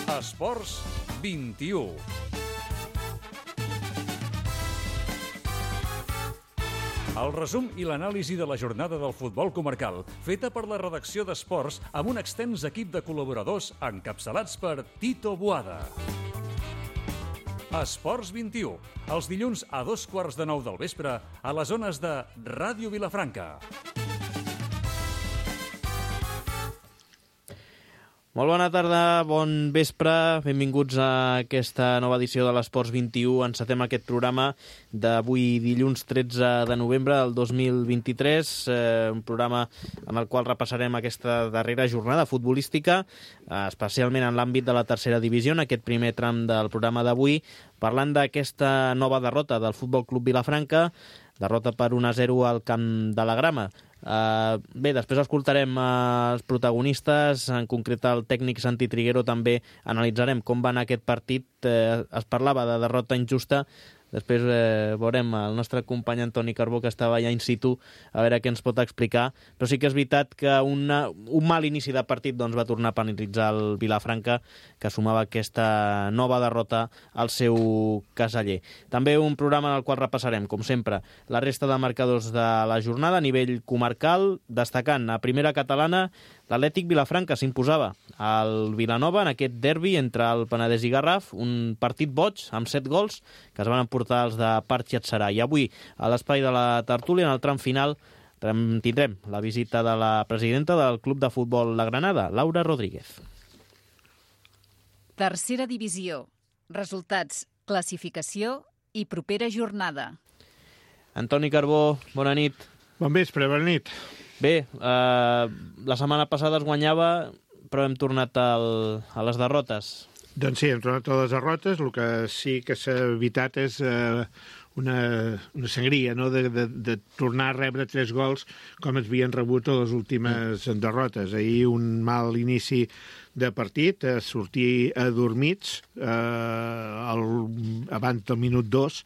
Esports 21. El resum i l'anàlisi de la jornada del futbol comarcal, feta per la redacció d'Esports amb un extens equip de col·laboradors encapçalats per Tito Boada. Esports 21, els dilluns a 8:15 del vespre a les zones de Ràdio Vilafranca. Molt bona tarda, bon vespre, benvinguts a aquesta nova edició de l'Esports 21. Encetem aquest programa d'avui dilluns 13 de novembre del 2023, un programa en el qual repassarem aquesta darrera jornada futbolística, especialment en l'àmbit de la tercera divisió, en aquest primer tram del programa d'avui, parlant d'aquesta nova derrota del Futbol Club Vilafranca, derrota per 1-0 al Camp de la Grama. Bé, després escoltarem els protagonistes, en concret el tècnic Santi Triguero. També analitzarem com va anar aquest partit. Es parlava de derrota injusta. Després veurem el nostre company Antoni Carbó, que estava allà in situ, a veure què ens pot explicar. Però sí que és veritat que un mal inici de partit va tornar a penalitzar el Vilafranca, que sumava aquesta nova derrota al seu caseller. També un programa en el qual repassarem, com sempre, la resta de marcadors de la jornada a nivell comarcal, destacant a primera catalana l'Atlètic Vilafranca s'imposava al Vilanova en aquest derbi entre el Penedès i Garraf, un partit boig amb 7 gols que es van emportar els de Parc i Atzarà. I avui, a l'espai de la tertúlia, en el tram final, tindrem la visita de la presidenta del Club de Futbol La Granada, Laura Rodríguez. Tercera divisió. Resultats, classificació i propera jornada. Antoni Carbó, bona nit. Bon vespre, bona nit. Bé, la setmana passada es guanyava, però hem tornat a les derrotes. Doncs sí, hem tornat a les derrotes. El que sí que s'ha evitat és una sangria, no? de tornar a rebre 3 gols com es havien rebut a les últimes derrotes. Ahir un mal inici de partit, sortir adormits abans del minut 2,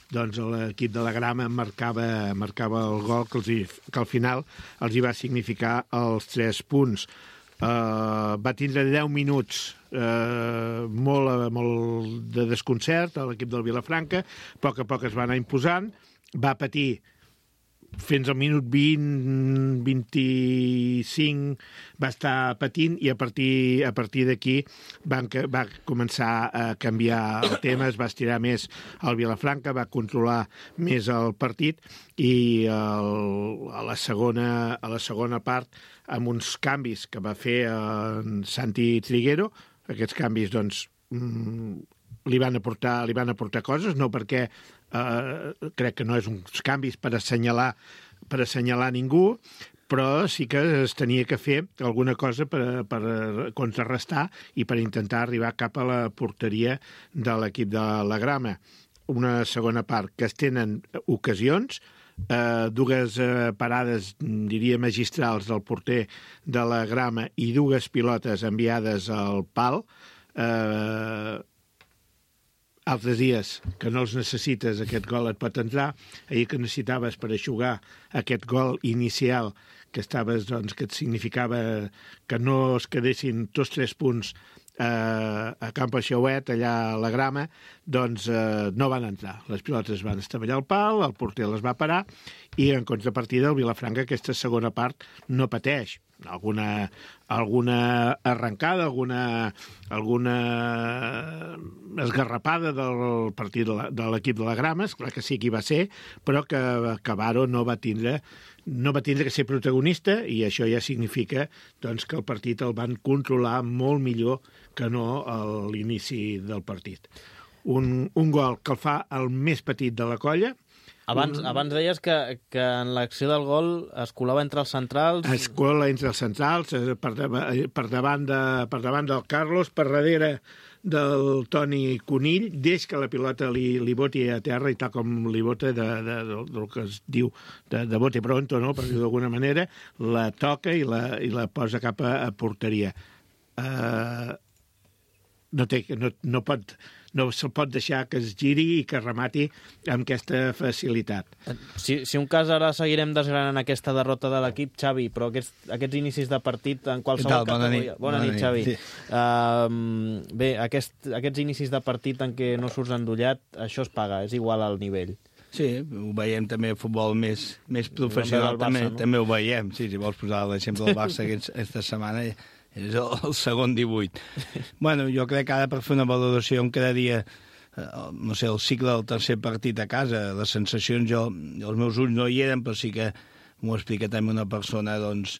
doncs l'equip de la Grama marcava el gol que al final els hi va significar els 3 punts. Va tindre 10 minuts molt de desconcert a l'equip del Vilafranca, a poc es va anar imposant, va patir fins al minut 20, 25 va estar patint, i a partir d'aquí va començar a canviar el tema, es va estirar més el Vilafranca, va controlar més el partit, i a la segona part, amb uns canvis que va fer en Santi Triguero, aquests canvis doncs li van aportar coses, no perquè crec que no és uns canvis per assenyalar ningú, però sí que es tenia que fer alguna cosa per contrarrestar i per intentar arribar cap a la porteria de l'equip de la Grama. Una segona part que es tenen ocasions, 2 parades, diria, magistrals del porter de la Grama i 2 pilotes enviades al pal. Altres dies que no els necessites, aquest gol et pot entrar. Ahir que necessitaves per eixugar aquest gol inicial que et significava que no es quedessin tots 3 punts a Camp Aixauet, allà a la Grama, doncs no van entrar. Les pilotes van estavellar al pal, el porter les va parar, i en contrapartida el Vilafranca aquesta segona part no pateix. Alguna arrencada, alguna esgarrapada del partit de l'equip de la Grama, esclar que sí que hi va ser, però que Baro no va tindre que ser protagonista, i això ja significa doncs, que el partit el van controlar molt millor que no a l'inici del partit. Un gol que el fa el més petit de la colla. Abans deies que en l'acció del gol es colava entre els centrals. Es cola entre els centrals, per davant del Carlos, per darrere del Toni Conill, des que la pilota li boti a terra, i tal com li bota del que es diu de bote pronto, no? Per dir-ho d'alguna manera, la toca i la posa cap a porteria. no se'l pot deixar que es giri i que remati amb aquesta facilitat. Si un cas ara seguirem desgranant aquesta derrota de l'equip, Xavi, però aquests inicis de partit en qualsevol categoria... Bona nit, Xavi. Sí. Bé, aquests inicis de partit en què no surts endollat, això es paga, és igual al nivell. Sí, ho veiem també a futbol més professional, Barça, també ho veiem. Sí, si vols posar l'exemple del Barça aquesta setmana, és el segon 18. Bueno, jo crec que ara per fer una valoració en cada dia, no sé, el cicle del tercer partit a casa, les sensacions, els meus ulls no hi eren, però sí que m'ho explica també una persona doncs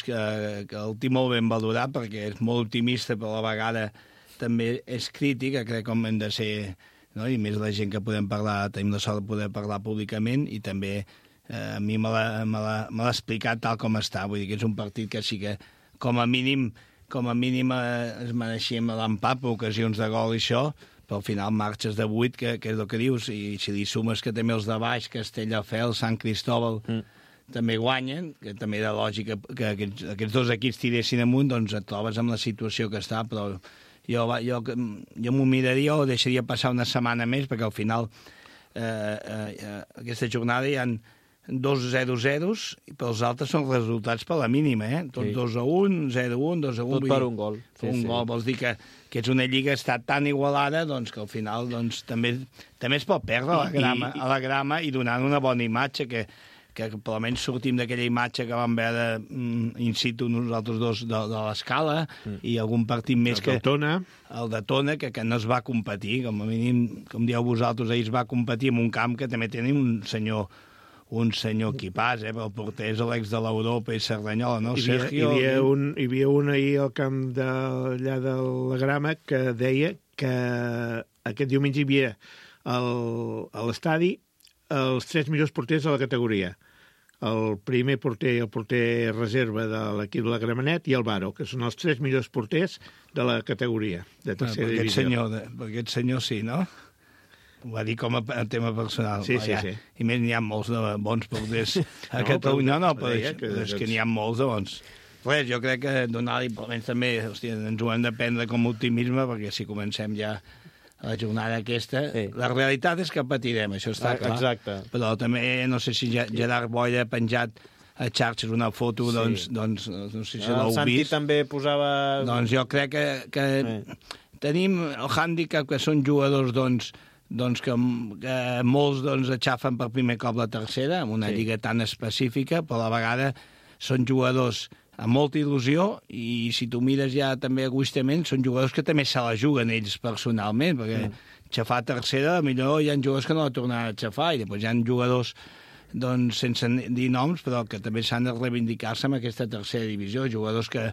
que el tinc molt ben valorat perquè és molt optimista, però a la vegada també és crític, crec que hem de ser... No? I més la gent que podem parlar, tenim la sort de poder parlar públicament i també a mi me l'ha explicat tal com està. Vull dir que és un partit que sí que com a mínim es mereixíem l'empat per ocasions de gol i això, però al final marxes de 8, que és el que dius, i si li sumes que també els de baix, Castelldefels, Sant Cristóbal, també guanyen, que també era lògic que aquests dos equips tiressin amunt, doncs et trobes amb la situació que està, però jo m'ho miraria o deixaria passar una setmana més, perquè al final aquesta jornada hi ha 2-0-0, però els altres són resultats per la mínima, Tots 2-1, 0-1, 2-1... Tot per un gol. Un gol, vols dir que és una lliga que està tan igualada doncs, que al final doncs, també es pot perdre a la grama i donant una bona imatge, que per almenys sortim d'aquella imatge que vam veure in situ nosaltres dos de l'escala i algun partit més que... El de Tona, que no es va competir, com a mínim, com dieu vosaltres, ahir es va competir en un camp que també tenim un senyor equipàs, però el porter és l'ex de l'Europa i Cerdanyola, no? Hi havia un ahir al camp d'allà de la Grama que deia que aquest diumenge hi havia a l'estadi els 3 millors porters de la categoria. El primer porter i el porter reserva de l'equip de la Gramenet i el Baro, que són els 3 millors porters de la categoria de tercera divisió. Per aquest senyor sí, no? Ho va dir com a tema personal. Sí. I més n'hi ha molts de bons porters a Catalunya. Però és que n'hi ha molts de bons. Res, jo crec que donar-li, almenys també, ens ho hem de prendre com a optimisme, perquè si comencem ja a la jornada aquesta, la realitat és que patirem, això està clar. Exacte. Però també, no sé si Gerard Boira ha penjat a xarxes una foto, doncs no sé si l'heu vist. El Santi també posava... Doncs jo crec que tenim el hàndicap que són jugadors, doncs que molts aixafen per primer cop la tercera, en una lliga tan específica, però a la vegada són jugadors amb molta il·lusió, i si tu mires ja també egoistament, són jugadors que també se la juguen ells personalment, perquè xafar tercera, millor hi ha jugadors que no la tornaran a xafar, i després hi ha jugadors, doncs, sense dir noms, però que també s'han de reivindicar-se en aquesta tercera divisió, jugadors que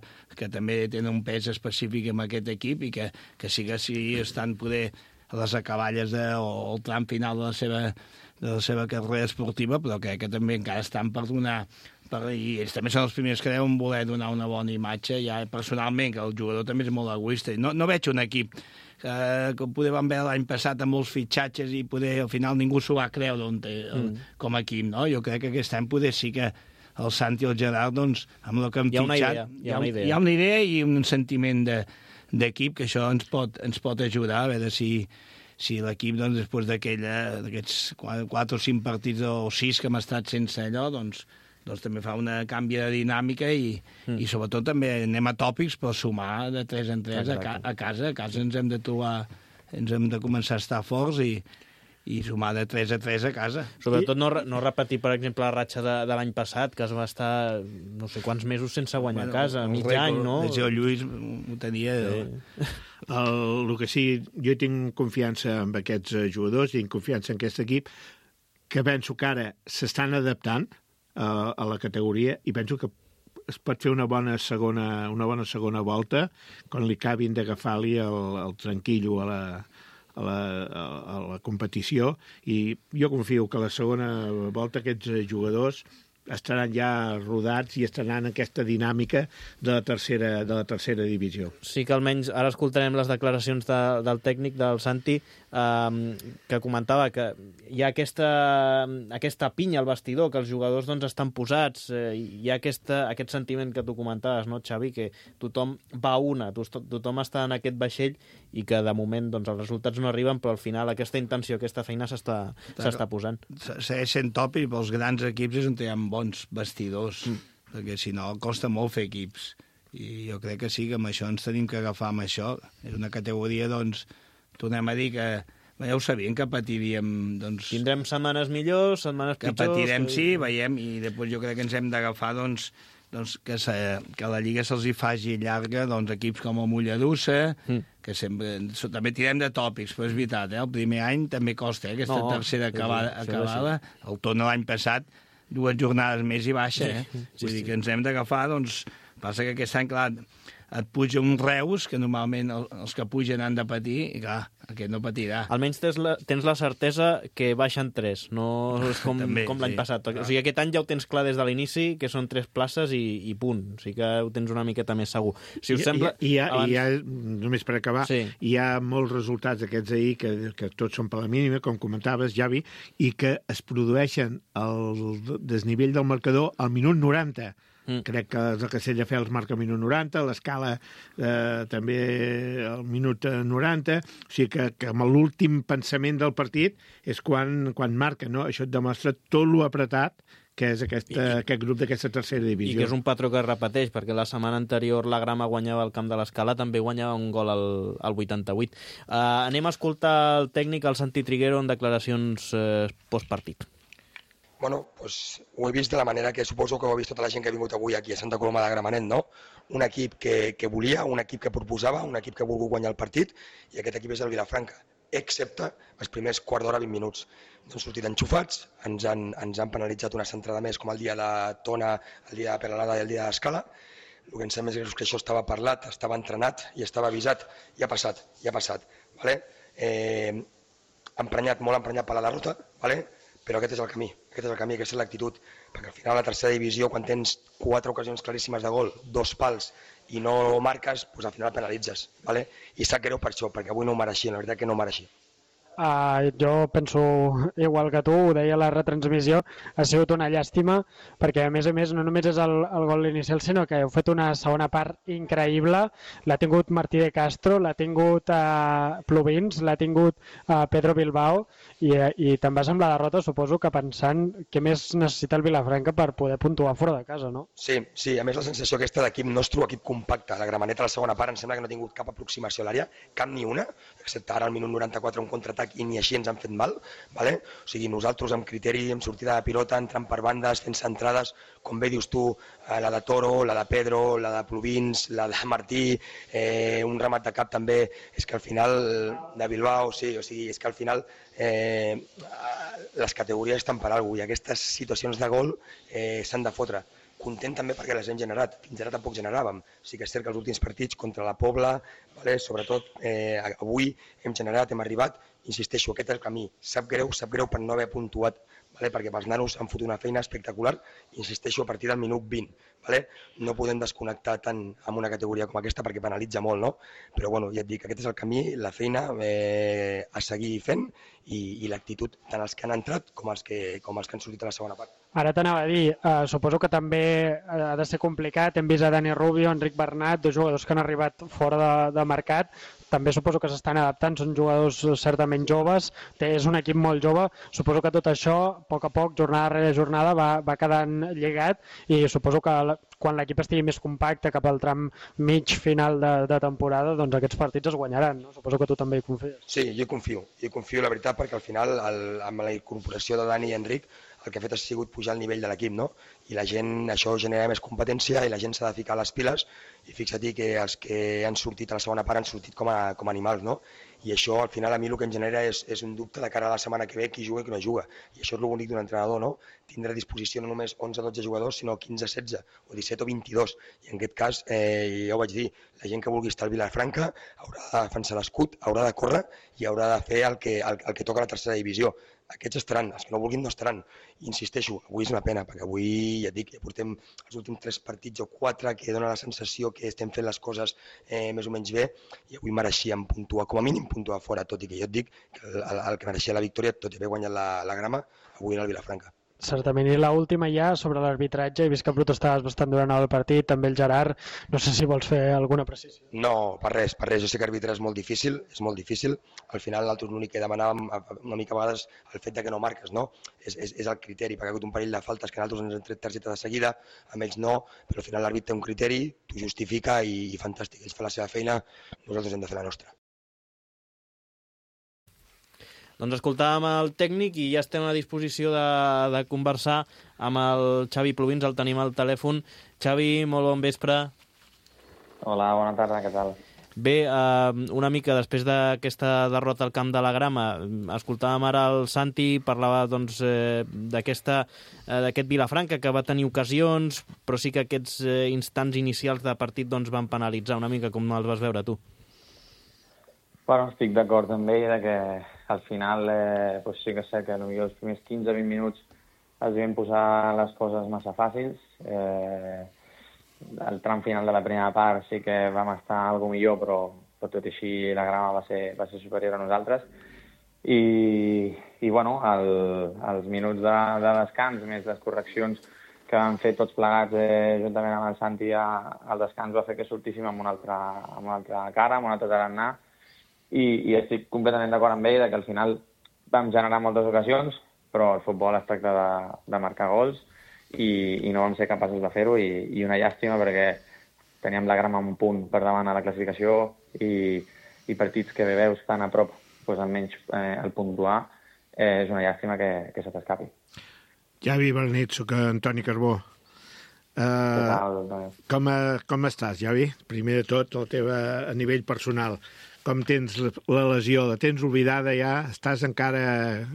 també tenen un pes específic en aquest equip i que sí que estan poder a les acaballes o el tram final de la seva carrera esportiva, però crec que també encara estan per donar... I ells també són els primers que deuen voler donar una bona imatge, ja personalment, que el jugador també és molt egoista. No veig un equip que poder vam veure l'any passat amb molts fitxatges i poder al final ningú s'ho va creure com a equip, no? Jo crec que aquest any poder sí que el Santi i el Gerard, doncs, amb el que hem fitxat... Hi ha una idea i un sentiment d'equip que això ens pot ajudar, a veure si l'equip, doncs, després d'aquests 4 o 5 partits o 6 que hem estat sense allò, doncs també fa una canvi de dinàmica i sobretot també anem a tòpics, però sumar de 3 en 3 a casa. A casa ens hem de trobar, ens hem de començar a estar forts i sumar de 3 a 3 a casa. Sobretot no repetir, per exemple, la ratxa de l'any passat, que es va estar no sé quants mesos sense guanyar a casa, mig any, no? El Lluís ho tenia... El que sí, jo tinc confiança en aquests jugadors, tinc confiança en aquest equip, que penso que ara s'estan adaptant a la categoria i penso que es pot fer una bona segona volta quan li acabin d'agafar-li el tranquillo a la competició, i jo confio que la segona volta aquests jugadors estaran ja rodats i estaran en aquesta dinàmica de la tercera divisió. Sí que almenys ara escoltarem les declaracions del tècnic, del Santi, que comentava que hi ha aquesta pinya al vestidor, que els jugadors doncs, estan posats, hi ha aquest sentiment que tu comentaves, no, Xavi, que tothom va a una, tothom està en aquest vaixell i que de moment doncs, els resultats no arriben, però al final aquesta intenció, aquesta feina s'està posant. Segueix sent top i pels grans equips és on hi ha bons vestidors, perquè si no costa molt fer equips. I jo crec que sí, que amb això ens tenim que agafar amb això. És una categoria, doncs, tornem a dir que ja ho sabíem que patiríem. Doncs, tindrem setmanes millors, setmanes pitjors... Que patirem, sí, veiem, i després jo crec que ens hem d'agafar, doncs que la Lliga se'ls hi faci llarga, doncs, equips com el Mollerussa, que sempre... També tirem de tòpics, però és veritat, el primer any també costa, aquesta tercera acabada. El torn l'any passat, 2 jornades més i baixa, Vull dir que ens hem d'agafar, doncs, passa que aquest any, clar, et puja un Reus, que normalment els que pugen han de patir, i clar, aquest no patirà. Almenys tens la certesa que baixen 3, no és com l'any passat. O sigui, aquest any ja ho tens clar des de l'inici, que són 3 places i punt. O sigui que ho tens una miqueta més segur. Si us sembla... Hi ha, només per acabar, hi ha molts resultats d'aquests ahir que tots són per la mínima, com comentaves, Javi, i que es produeixen el desnivell del marcador al minut 90. Crec que el Castelldefels marca al minut 90, l'Escala també al minut 90, o sigui que amb l'últim pensament del partit és quan marca, no? Això et demostra tot lo apretat que és aquest grup d'aquesta tercera divisió. I que és un patró que es repeteix, perquè la setmana anterior la Grama guanyava el camp de l'Escala, també guanyava un gol al 88. Anem a escoltar el tècnic, el Santi Triguero, en declaracions postpartit. Bueno, pues ho he vist de la manera que suposo que ho ha vist tota la gent que ha vingut avui aquí a Santa Coloma de Gramenet, no? Un equip que volia, un equip que proposava, un equip que ha volgut guanyar el partit, i aquest equip és el Vilafranca, excepte els primers quart d'hora, 20 minuts. Ens han sortit enxufats, ens han penalitzat una centrada més, com el dia de Tona, el dia de Peralada i el dia d'Escala. El que em sembla més greu és que això estava parlat, estava entrenat i estava avisat, i ha passat. Vale? Molt emprenyat per la derrota, vale? Però aquest és el camí, aquesta és l'actitud, perquè al final a la tercera divisió, quan tens 4 ocasions claríssimes de gol, 2 pals, i no marques, doncs al final penalitzes, ¿vale? I sap greu per això, perquè avui no ho mereixia, la veritat que no ho mereixia. Jo penso igual que tu, ho deia a la retransmissió, ha sigut una llàstima, perquè a més no només és el gol inicial, sinó que heu fet una segona part increïble, l'ha tingut Martí de Castro, l'ha tingut Plovins, l'ha tingut Pedro Bilbao, i te'n vas amb la derrota, suposo que pensant què més necessita el Vilafranca per poder puntuar fora de casa, no? Sí, a més la sensació aquesta d'equip nostre, equip compacte, la Gramenet a la segona part em sembla que no ha tingut cap aproximació a l'àrea, cap ni una, excepte ara al minut 94 un contraatac i ni així ens han fet mal, ¿vale? O sigui, nosaltres amb criteri, amb sortida de pilota, entrant per bandes, fent centrades, com bé dius tu, la de Toro, la de Pedro, la de Plovins, la de Martí, un remat de cap també, és que al final, de Bilbao, sí, o sigui, és que al final les categories estan per alguna cosa i aquestes situacions de gol s'han de fotre. Content també perquè les hem generat, fins ara tampoc generàvem. Sí que és cert que els últims partits contra la Pobla, vale, sobretot avui hem generat, hem arribat, insisteixo, aquest és el camí. Sap greu per no haver puntuat, vale, perquè pels nanos han fotut una feina espectacular, insisteixo, a partir del minut 20. Vale? No podem desconnectar tant amb una categoria com aquesta perquè penalitza molt, no? Però bueno, ja et dic, aquest és el camí, la feina a seguir fent i l'actitud tant els que han entrat com els que han sortit a la segona part. Ara t'anava a dir, suposo que també ha de ser complicat, hem vist a Dani Rubio, Enric Bernat, 2 jugadors que han arribat fora de mercat, també suposo que s'estan adaptant, són jugadors certament joves, és un equip molt jove, suposo que tot això, a poc, jornada rere jornada, va quedant lligat i suposo que quan l'equip estigui més compacte cap al tram mig final de temporada, doncs aquests partits es guanyaran, no? Suposo que tu també hi confies. Sí, jo hi confio la veritat, perquè al final, amb la incorporació de Dani i Enric, el que ha fet ha sigut pujar el nivell de l'equip, no? I la gent, això genera més competència i la gent s'ha de ficar les piles i fixa't que els que han sortit a la segona part han sortit com a animals, no? I això al final a mi el que em genera és un dubte de cara a la setmana que ve qui juga i qui no juga. I això és el bonic d'un entrenador, no? Tindre a disposició no només 11-12 jugadors, sinó 15-16 o 17 o 22. I en aquest cas, ja ho vaig dir, la gent que vulgui estar al Vilafranca haurà de defensar l'escut, haurà de córrer i haurà de fer el que toca a la tercera divisió. aquests estaran, els que no vulguin no estaran. Insisteixo, avui és una pena, perquè avui, ja et dic, ja portem els últims 3 partits o 4 que dona la sensació que estem fent les coses més o menys bé, i avui mereixíem puntuar, com a mínim puntuar fora, tot i que jo et dic que el que mereixia la victòria, tot i haver guanyat la grama, avui era el Vilafranca. Certament, i l'última ja sobre l'arbitratge, he vist que protestaves bastant durant el partit, també el Gerard, no sé si vols fer alguna precisió. No, per res, jo sé que arbitrar és molt difícil, al final nosaltres l'únic que demanàvem una mica a vegades el fet de que no marques, no? És el criteri, perquè ha hagut un parell de faltes que nosaltres ens hem tret targeta de seguida, amb ells no, però al final l'àrbit té un criteri, t'ho justifica i fantàstic, ells fan la seva feina, nosaltres hem de fer la nostra. Doncs escoltàvem el tècnic i ja estem a disposició de conversar amb el Xavi Plovins, el tenim al telèfon. Xavi, molt bon vespre. Hola, bona tarda, què tal? Bé, una mica després d'aquesta derrota al camp de la Grama, escoltàvem ara el Santi, parlava doncs, d'aquest Vilafranca que va tenir ocasions, però sí que aquests instants inicials de partit doncs, van penalitzar una mica, com els vas veure tu. Bueno, estic d'acord amb ell que al final pues sí que sé que potser els primers 15-20 minuts els vam posar les coses massa fàcils. El tram final de la primera part sí que vam estar alguna millor, però tot i així la Grama va ser superior a nosaltres. I bueno, els minuts de descans, més les correccions que vam fer tots plegats juntament amb el Santi al descans, va fer que sortíssim amb una altra cara, amb un altre tarannà. I estic completament d'acord amb ell que al final vam generar moltes ocasions, però el futbol es tracta de marcar gols i no vam ser capaços de fer-ho i una llàstima perquè teníem la Grama un punt per davant a la classificació i partits que veus tan a prop doncs almenys el puntuar és una llàstima que se t'escapi. Javi, bona nit, soc Antoni Carbó. Com estàs, Javi? Primer de tot, a nivell personal. Com tens la lesió? La tens oblidada ja? Estàs encara...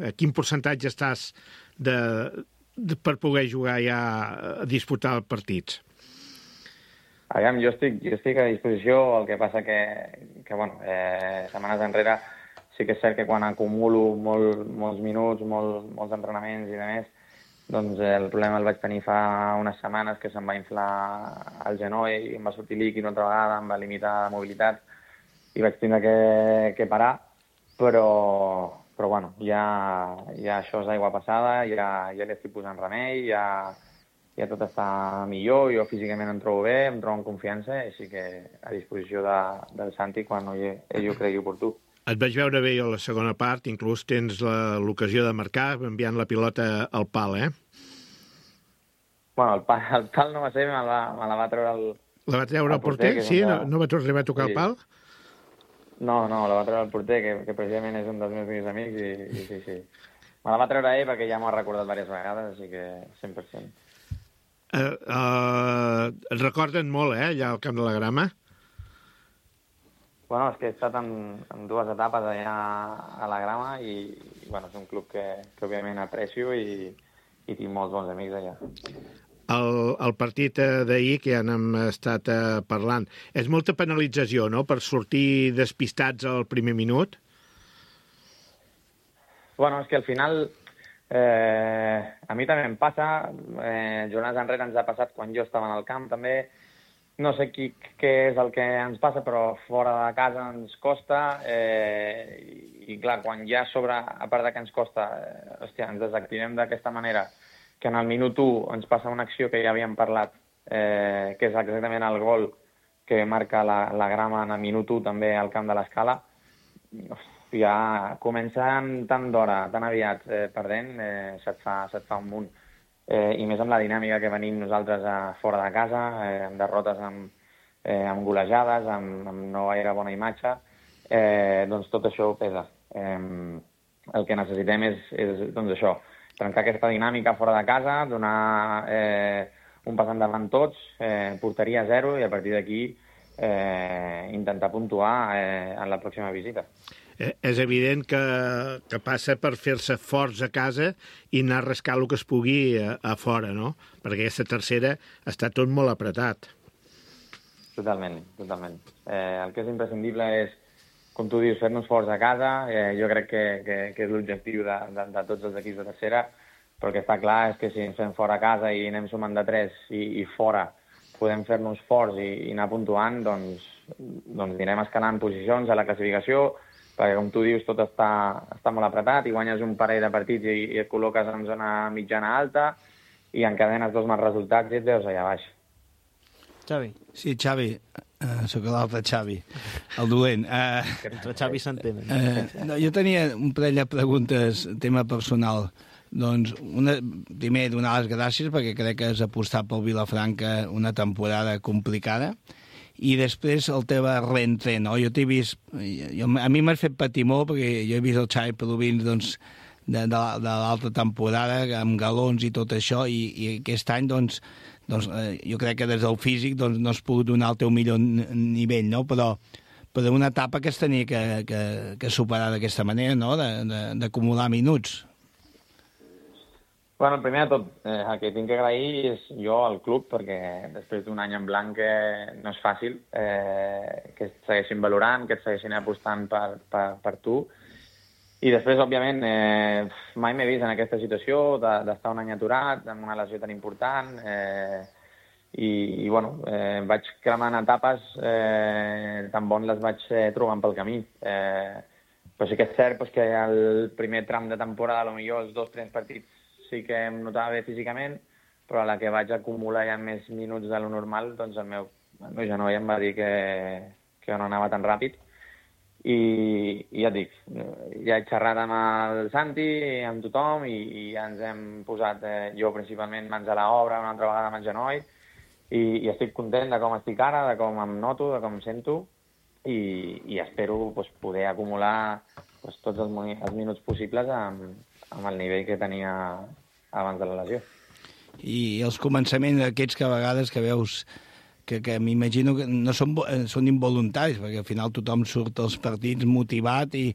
A quin percentatge estàs per poder jugar ja a disputar partits? Aviam, jo estic a disposició, el que passa que bueno, setmanes enrere sí que és cert que quan acumulo molts minuts, molts entrenaments i demés, doncs el problema el vaig tenir fa unes setmanes que se'm va inflar el genoll i em va sortir líquid una altra vegada, em va limitar la mobilitat i vaig tindre que parar, però bueno, ja això és aigua passada, ja li estic posant remei, ja tot està millor, jo físicament em trobo bé, em trobo en confiança, així que a disposició del Santi quan ell ho cregui oportú. Et vaig veure bé a la segona part, inclús tens l'ocasió de marcar enviant la pilota al pal, Bueno, el pal no va ser, me la va treure el... La va treure el porter? Sí? No va arribar a tocar el pal? No, la va treure el porter, que precisament és un dels meus millors amics, i sí. Me la va treure ell perquè ja m'ho ha recordat diverses vegades, així que 100%. Et recorden molt, allà al camp de la Grama? Bueno, és que he estat en dues etapes allà a la Grama i bueno, és un club que òbviament aprecio i tinc molts bons amics allà. El partit d'ahir, que ja n'hem estat parlant, és molta penalització, no?, per sortir despistats al primer minut? Bueno, és que al final a mi també em passa, jornades enrere ens ha passat quan jo estava en el camp també, no sé què és el que ens passa, però fora de casa ens costa i clar, quan ja sobre, a part que ens costa, ens desactivem d'aquesta manera, que en el minut 1 ens passa una acció que ja havíem parlat, que és exactament el gol que marca la Grama en el minut 1 també al camp de l'Escala, ja començant tant d'hora, tan aviat perdent, se't fa un munt. I més amb la dinàmica que venim nosaltres fora de casa, amb derrotes amb golejades, amb no gaire bona imatge, doncs tot això pesa. El que necessitem és doncs això, trencar aquesta dinàmica fora de casa, donar un pas endavant tots, porteria 0 i a partir d'aquí intentar puntuar en la pròxima visita. És evident que passa per fer-se forts a casa i anar a rascar el que es pugui a fora, no? Perquè aquesta tercera està tot molt apretat. Totalment. El que és imprescindible és com tu dius, fer-nos forts a casa, jo crec que és l'objectiu de tots els equips de tercera, però el que està clar és que si ens fem fora a casa i anem sumant de 3 i fora podem fer-nos forts i anar puntuant, doncs anirem escalant posicions a la classificació, perquè com tu dius tot està molt apretat i guanyes un parell de partits i et col·loques en zona mitjana alta i encadenes 2 mals resultats i et veus allà baix. Xavi. Sí, Xavi, sóc l'altre Xavi, el dolent. Entre Xavi s'entenen. No, jo tenia un parell de preguntes, tema personal. Doncs, primer, donar les gràcies perquè crec que has apostat pel Vilafranca una temporada complicada i després el teu reentrè, no? Jo t'he vist... a mi m'has fet patir molt perquè jo he vist el Xavi Provins doncs, de l'altra temporada amb galons i tot això i aquest any doncs, jo crec que des del físic no has pogut donar el teu millor nivell, no? Però una etapa que es tenia que superar d'aquesta manera, no? D'acumular minuts. Bueno, primer de tot, el que tinc que agrair és jo al club, perquè després d'un any en blanc no és fàcil, que et segueixin valorant, que et segueixin apostant per tu. I després, òbviament, mai m'he vist en aquesta situació d'estar un any aturat, amb una lesió tan important, i bueno, vaig cremant etapes, tan bon les vaig trobant pel camí. Però sí que és cert que el primer tram de temporada, potser els 2 primers partits, sí que em notava bé físicament, però a la que vaig acumular ja més minuts de lo normal, doncs el meu genoll em va dir que no anava tan ràpid. I ja et dic, ja he xerrat amb el Santi, amb tothom, i ja ens hem posat, jo principalment, mans a l'obra una altra vegada amb el genoll, i estic content de com estic ara, de com em noto, de com em sento, i espero poder acumular tots els minuts possibles amb el nivell que tenia abans de la lesió. I els començaments aquests que a vegades que veus que m'imagino que no són involuntaris, perquè al final tothom surt als partits motivat i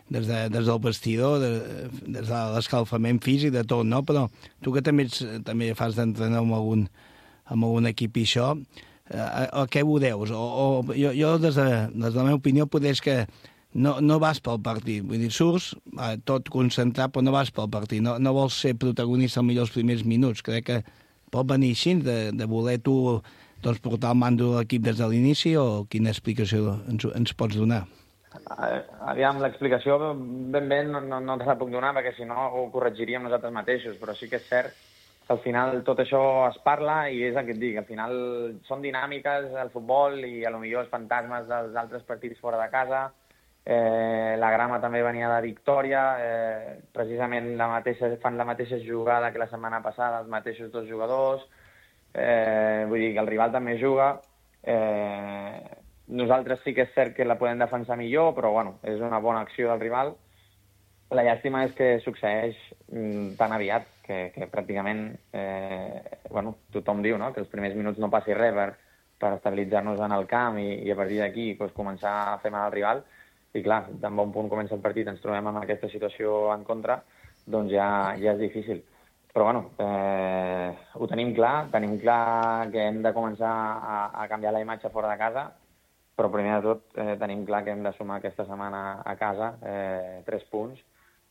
des del vestidor, des de l'escalfament físic, de tot, no? Però tu que també fas d'entrenar amb algun equip i això, a què ho deus? Jo, des de la meva opinió, potser és que no vas pel partit. Vull dir, surts tot concentrat, però no vas pel partit. No vols ser protagonista millor els primers minuts. Crec que pot venir així, de voler tu portar el mando de l'equip des de l'inici, o quina explicació ens pots donar? Aviam, l'explicació ben no te la puc donar, perquè si no ho corregiríem nosaltres mateixos, però sí que és cert que al final tot això es parla i és el que et dic. Al final són dinàmiques al futbol i potser els fantasmes dels altres partits fora de casa. La grama també venia de victòria, precisament fan la mateixa jugada que la setmana passada, els mateixos 2 jugadors, vull dir que el rival també juga, nosaltres sí que és cert que la podem defensar millor, però bueno, és una bona acció del rival. La llàstima és que succeeix tan aviat que pràcticament tothom diu, no?, que els primers minuts no passi res per estabilitzar-nos en el camp i a partir d'aquí començar a fer mal al rival. I clar, tan bon punt comença el partit, ens trobem en aquesta situació en contra, doncs ja és difícil. Però bueno, ho tenim clar que hem de començar a canviar la imatge fora de casa, però primer de tot tenim clar que hem de sumar aquesta setmana a casa 3 punts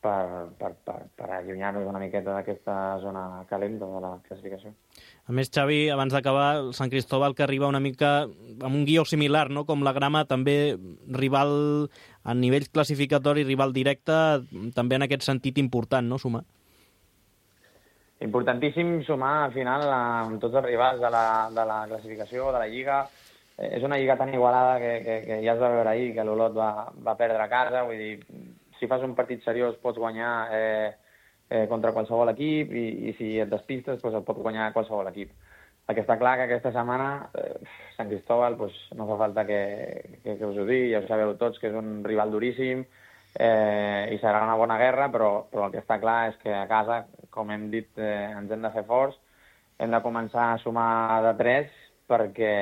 per allunyar-nos una miqueta d'aquesta zona calenta de la classificació. A més, Xavi, abans d'acabar, el Sant Cristóbal que arriba una mica amb un guió similar, no?, com la Grama, també rival a nivell classificatori, rival directe, també en aquest sentit important, no?, sumar. Importantíssim sumar, al final, amb tots els rivals de la classificació, de la Lliga. És una Lliga tan igualada que ja es va veure ahir, que l'Olot va perdre a casa, vull dir, si fas un partit seriós pots guanyar contra qualsevol equip i si et despistes et pot guanyar qualsevol equip. El que està clar que aquesta setmana Sant Cristóbal no fa falta que us ho digui, ja ho sabeu tots que és un rival duríssim i serà una bona guerra, però el que està clar és que a casa, com hem dit, ens hem de fer forts, hem de començar a sumar de 3 perquè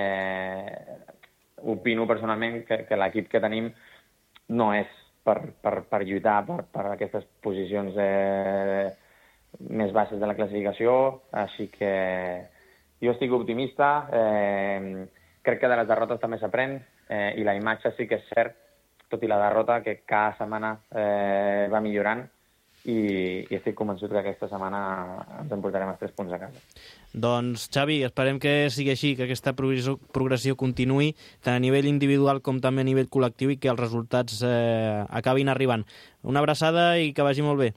opino personalment que l'equip que tenim no és per lluitar per aquestes posicions més baixes de la classificació, així que jo estic optimista, crec que de les derrotes també s'aprèn i la imatge sí que és cert tot i la derrota, que cada setmana va millorant i estic convençut que aquesta setmana ens emportarem els 3 punts a casa. Doncs, Xavi, esperem que sigui així, que aquesta progressió continuï tant a nivell individual com també a nivell col·lectiu i que els resultats acabin arribant. Una abraçada i que vagi molt bé.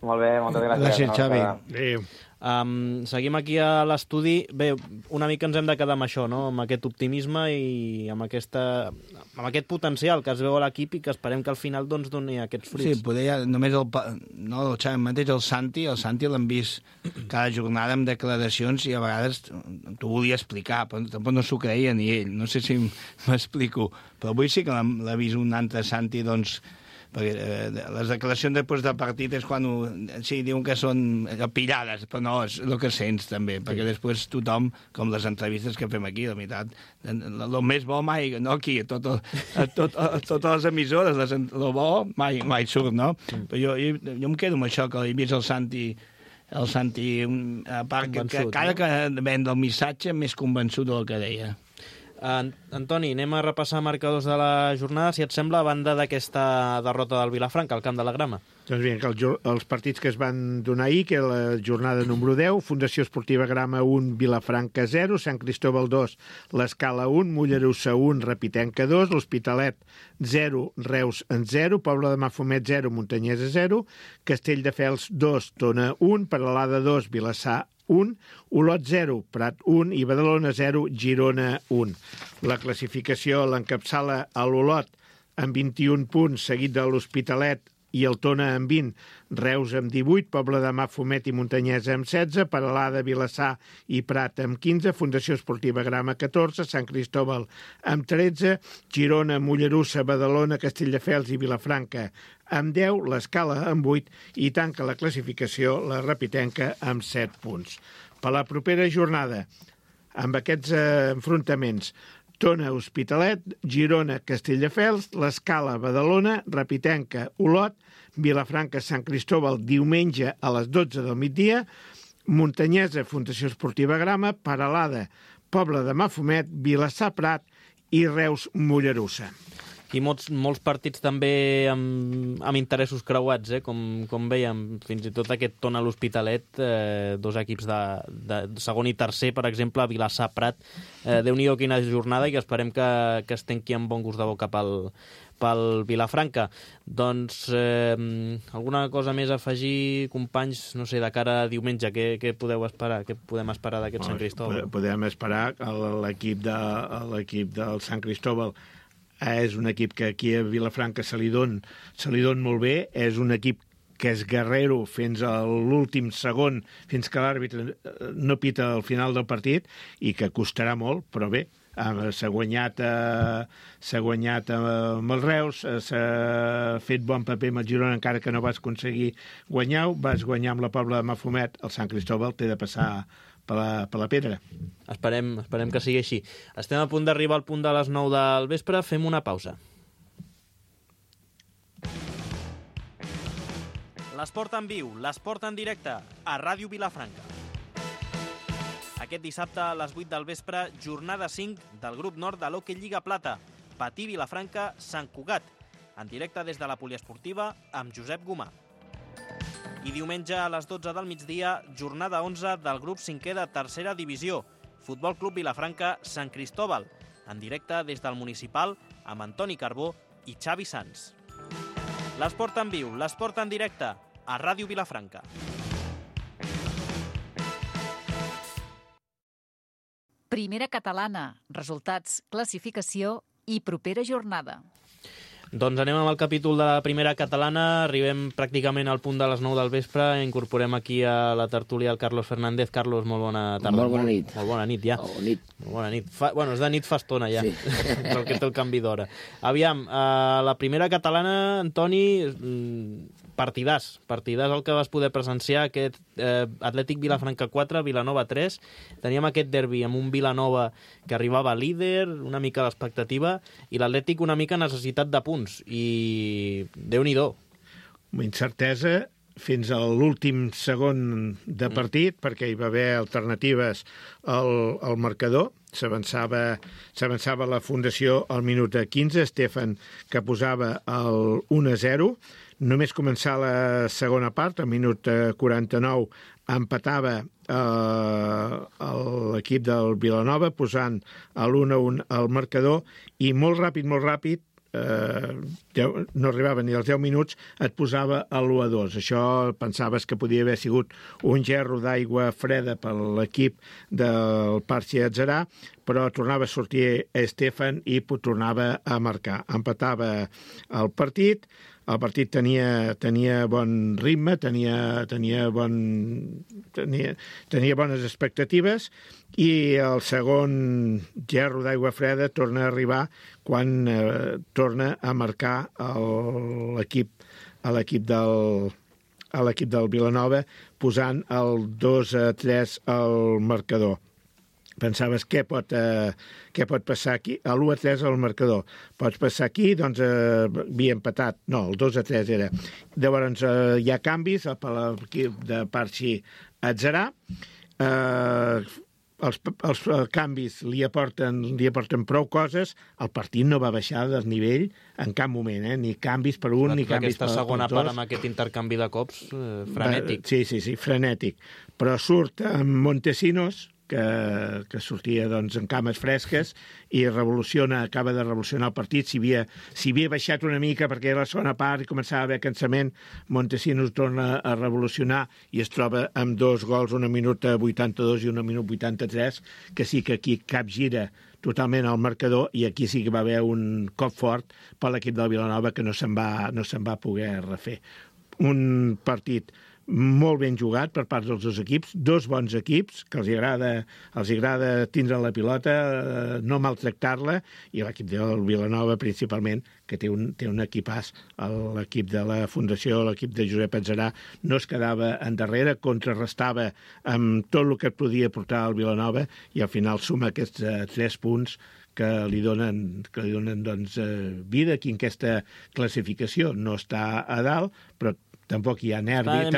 Molt bé, moltes gràcies. Gràcies, Xavi. Adéu. Seguim aquí a l'estudi. Bé, una mica ens hem de quedar amb això, no? Amb aquest optimisme i amb aquest potencial que es veu a l'equip i que esperem que al final doncs, doni aquests fruits. Sí, poder ja, només el Xavi mateix, el Santi l'hem vist cada jornada amb declaracions i a vegades t'ho volia explicar, però tampoc no s'ho creia ni ell. No sé si m'explico, però avui sí que l'ha vist un altre Santi, doncs, perquè les declaracions després del partit és quan sí, diuen que són pillades, però no, és el que sents també, perquè després tothom, com les entrevistes que fem aquí, la veritat, el més bo mai, no aquí, a totes les emissores, el bo mai surt, no? Però jo em quedo amb això, que he vist el Santi, a part que cada que ven el missatge més convençut del que deia. Antoni, anem a repassar marcadors de la jornada, si et sembla, a banda d'aquesta derrota del Vilafranca, al Camp de la Grama. Doncs bé, els partits que es van donar ahir, que la jornada número 10, Fundació Esportiva Grama 1, Vilafranca 0, Sant Cristóbal 2, l'Escala 1, Mollerussa 1, Repitenca 2, l'Hospitalet 0, Reus en 0, Pobla de Mafumet 0, Montanyesa 0, Castelldefels 2, Tona 1, Peralada 2, Vilassar 1, Olot 0, Prat 1 i Badalona 0, Girona 1. La classificació l'encapçala a l'Olot amb 21 punts, seguit de l'Hospitalet i el Tona amb 20, Reus amb 18, Pobla de Mafumet i Montanyesa amb 16, Peralada, Vilassar i Prat amb 15, Fundació Esportiva Grama 14, Sant Cristóbal amb 13, Girona, Mollerussa, Badalona, Castelldefels i Vilafranca amb 10, l'Escala amb 8 i tanca la classificació la Repitenca amb 7 punts. Per la propera jornada, amb aquests enfrontaments, Tona, Hospitalet, Girona, Castelldefels, l'Escala, Badalona, Repitenca, Olot, Vilafranca, Sant Cristóbal, diumenge a les 12 del migdia, Montanyesa, Fundació Esportiva Grama, Peralada, Pobla de Mafumet, Vilassar, Prat i Reus, Mollerussa. I molts partits també amb interessos creuats, com veiem, fins i tot aquest Tona a l'Hospitalet, 2 equips de segon i tercer, per exemple, Vilassar, Prat. Déu-n'hi-do quina jornada i que esperem que es tanqui amb bon gust de boca pel Vilafranca. Doncs alguna cosa més a afegir, companys, no sé, de cara a diumenge, què podeu esperar? Què podem esperar d'aquest Sant Cristóbal? Podem esperar l'equip del Sant Cristóbal. És un equip que aquí a Vilafranca se li don molt bé, és un equip que és guerrero fins a l'últim segon, fins que l'àrbitre no pita al final del partit, i que costarà molt, però bé, s'ha guanyat amb el Reus, s'ha fet bon paper amb el Girona, encara que no vas aconseguir guanyar-ho, vas guanyar amb la Pobla de Mafumet, el Sant Cristóbal té de passar per la pedra. Esperem que sigui així. Estem a punt d'arribar al punt de les 9 del vespre, fem una pausa. L'esport en viu, l'esport en directe, a Ràdio Vilafranca. Aquest dissabte a les 8 del vespre, jornada 5 del grup nord de l'Hockey Lliga Plata, Patí Vilafranca, Sant Cugat, en directe des de la poliesportiva amb Josep Gomà. I diumenge a les 12 del migdia, jornada 11 del grup 5è de tercera divisió, Futbol Club Vilafranca Sant Cristóbal, en directe des del municipal amb Antoni Carbó i Xavi Sans. L'esport en viu, l'esport en directe, a Ràdio Vilafranca. Primera catalana, resultats, classificació i propera jornada. Doncs anem amb el capítol de la primera catalana, arribem pràcticament al punt de les 9 del vespre, incorporem aquí a la tertúlia el Carlos Fernández. Carlos, molt bona tarda. Molt bona nit. Molt bona nit, ja. Molt bona nit. Bueno, és de nit fa estona, ja, sí. Però que té el canvi d'hora. Aviam, la primera catalana, Antoni, partidàs el que vas poder presenciar, aquest Atlètic Vilafranca 4, Vilanova 3. Teníem aquest derbi amb un Vilanova que arribava líder, una mica l'expectativa, i l'Atlètic una mica necessitat de punts, i Déu-n'hi-do. Incertesa fins a l'últim segon de partit, perquè hi va haver alternatives al marcador. S'avançava la fundació al minut 15, Stefan que posava el 1-0. Només començar la segona part, al minut 49, empatava l'equip del Vilanova, posant l'1-1 al marcador, i molt ràpid, no arribava ni als 10 minuts, et posava l'1-2. Això pensaves que podia haver sigut un gerro d'aigua freda per l'equip del Parchi Atzerà, però tornava a sortir Stefan i tornava a marcar. Empatava el partit. El partit tenia bon ritme, tenia bones expectatives, i el segon gerro d'aigua freda torna a arribar quan torna a marcar l'equip del Vilanova, posant el 2-3 al marcador. Pensaves què pot passar aquí? L'1-3 al marcador. Pots passar aquí, doncs havia empatat. No, el 2-3 era. Llavors hi ha canvis per l'equip de Parchi Atzerà. Els canvis li aporten prou coses. El partit no va baixar del nivell en cap moment, ni canvis per un ni canvis per dos. Aquesta segona part amb aquest intercanvi de cops, frenètic. Sí, frenètic. Però surt amb Montesinos, que sortia en cames fresques, i acaba de revolucionar el partit. Si havia baixat una mica perquè era la segona part i començava a haver cansament, Montesinos torna a revolucionar i es troba amb 2 gols, un minut 82 i un minut 83, que sí que aquí capgira totalment el marcador, i aquí sí que va haver un cop fort per l'equip del Vilanova que no se'n va poder refer. Un partit molt ben jugat per part dels dos equips, dos bons equips, que els agrada tindre la pilota, no maltractar-la, i l'equip del Vilanova principalment, que té un equipàs. L'equip de la Fundació, l'equip de Josep Atzerà, no es quedava endarrere, contrarrestava amb tot el que podia portar el Vilanova, i al final suma aquests 3 punts que li donen vida aquí en aquesta classificació. No està a dalt, però tampoc hi ha nervis,